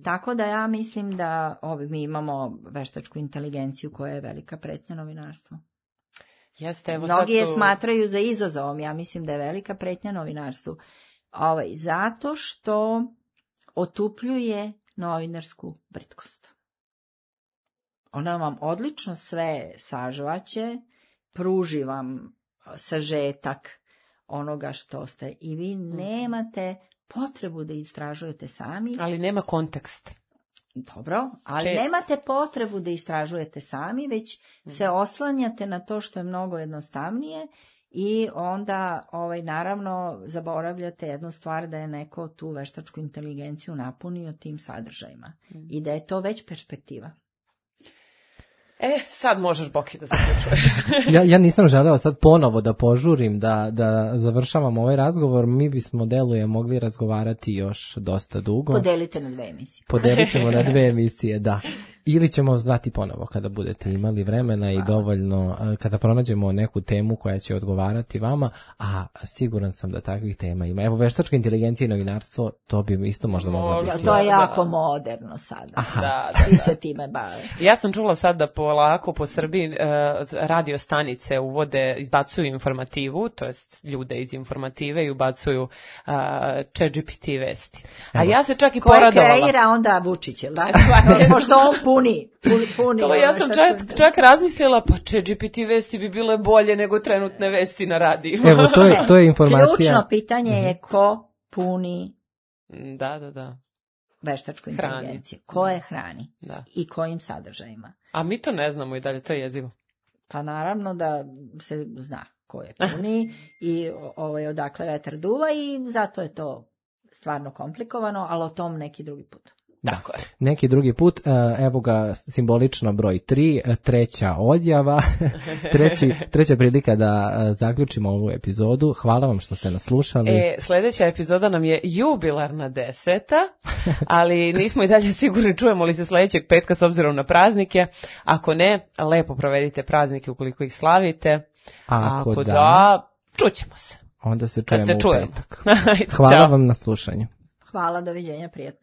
Speaker 3: tako da ja mislim da mi imamo veštačku inteligenciju koja je velika pretnja novinarstvu.
Speaker 2: Jeste, evo
Speaker 3: mnogi je smatraju za izazovom, ja mislim da je velika pretnja novinarstvu. Zato što otupljuje novinarsku britkost. Ona vam odlično sve sažvaće, pruži vam sažetak onoga što ste i vi nemate potrebu da istražujete sami.
Speaker 2: Ali nema kontekst.
Speaker 3: Dobro, ali nemate potrebu da istražujete sami, već se oslanjate na to što je mnogo jednostavnije I onda, naravno, zaboravljate jednu stvar, da je neko tu veštačku inteligenciju napunio tim sadržajima. I da je to već perspektiva.
Speaker 2: Sad možeš, Boki, da zaključuješ.
Speaker 1: Ja nisam želeo sad ponovo da požurim, da završavam ovaj razgovor. Mi bismo, deluje, mogli razgovarati još dosta dugo.
Speaker 3: Podelite na 2 emisije.
Speaker 1: Podelit ćemo na 2 emisije, da. Ili ćemo zvati ponovo kada budete imali vremena i dovoljno, kada pronađemo neku temu koja će odgovarati vama, a siguran sam da takvih tema ima. Evo, veštačka inteligencija i novinarstvo, to bi isto možda moglo biti.
Speaker 3: To je jako moderno sada. Svi se time bave.
Speaker 2: Ja sam čula sad da polako po Srbiji radio stanice uvode, izbacuju informativu, to jest ljude iz informative i ubacuju ChatGPT vesti. A ja se čak i poradovala.
Speaker 3: Koje kreira onda Vučić, jel da? Pošto on puni.
Speaker 2: To ja sam čak razmislila, pa ChatGPT vesti bi bile bolje nego trenutne vesti na radiju.
Speaker 1: Evo, to je informacija.
Speaker 3: Ključno pitanje je ko puni
Speaker 2: da.
Speaker 3: veštačku inteligenciju. Ko je hrani i kojim sadržajima.
Speaker 2: A mi to ne znamo i dalje, to je jezivo.
Speaker 3: Pa naravno da se zna ko je puni i odakle vetar duva i zato je to stvarno komplikovano, ali o tom neki drugi put.
Speaker 1: Tako je. Neki drugi put, evo ga simbolično broj 3, treća odjava, treća prilika da zaključimo ovu epizodu. Hvala vam što ste nas slušali.
Speaker 2: Sljedeća epizoda nam je jubilarna 10, ali nismo i dalje sigurni čujemo li se sljedećeg petka s obzirom na praznike. Ako ne, lepo provedite praznike ukoliko ih slavite. Ako da, čućemo se.
Speaker 1: Onda se čujemo u petak.
Speaker 2: Ajde,
Speaker 1: hvala vam na slušanju.
Speaker 3: Hvala, doviđenja, prijatno.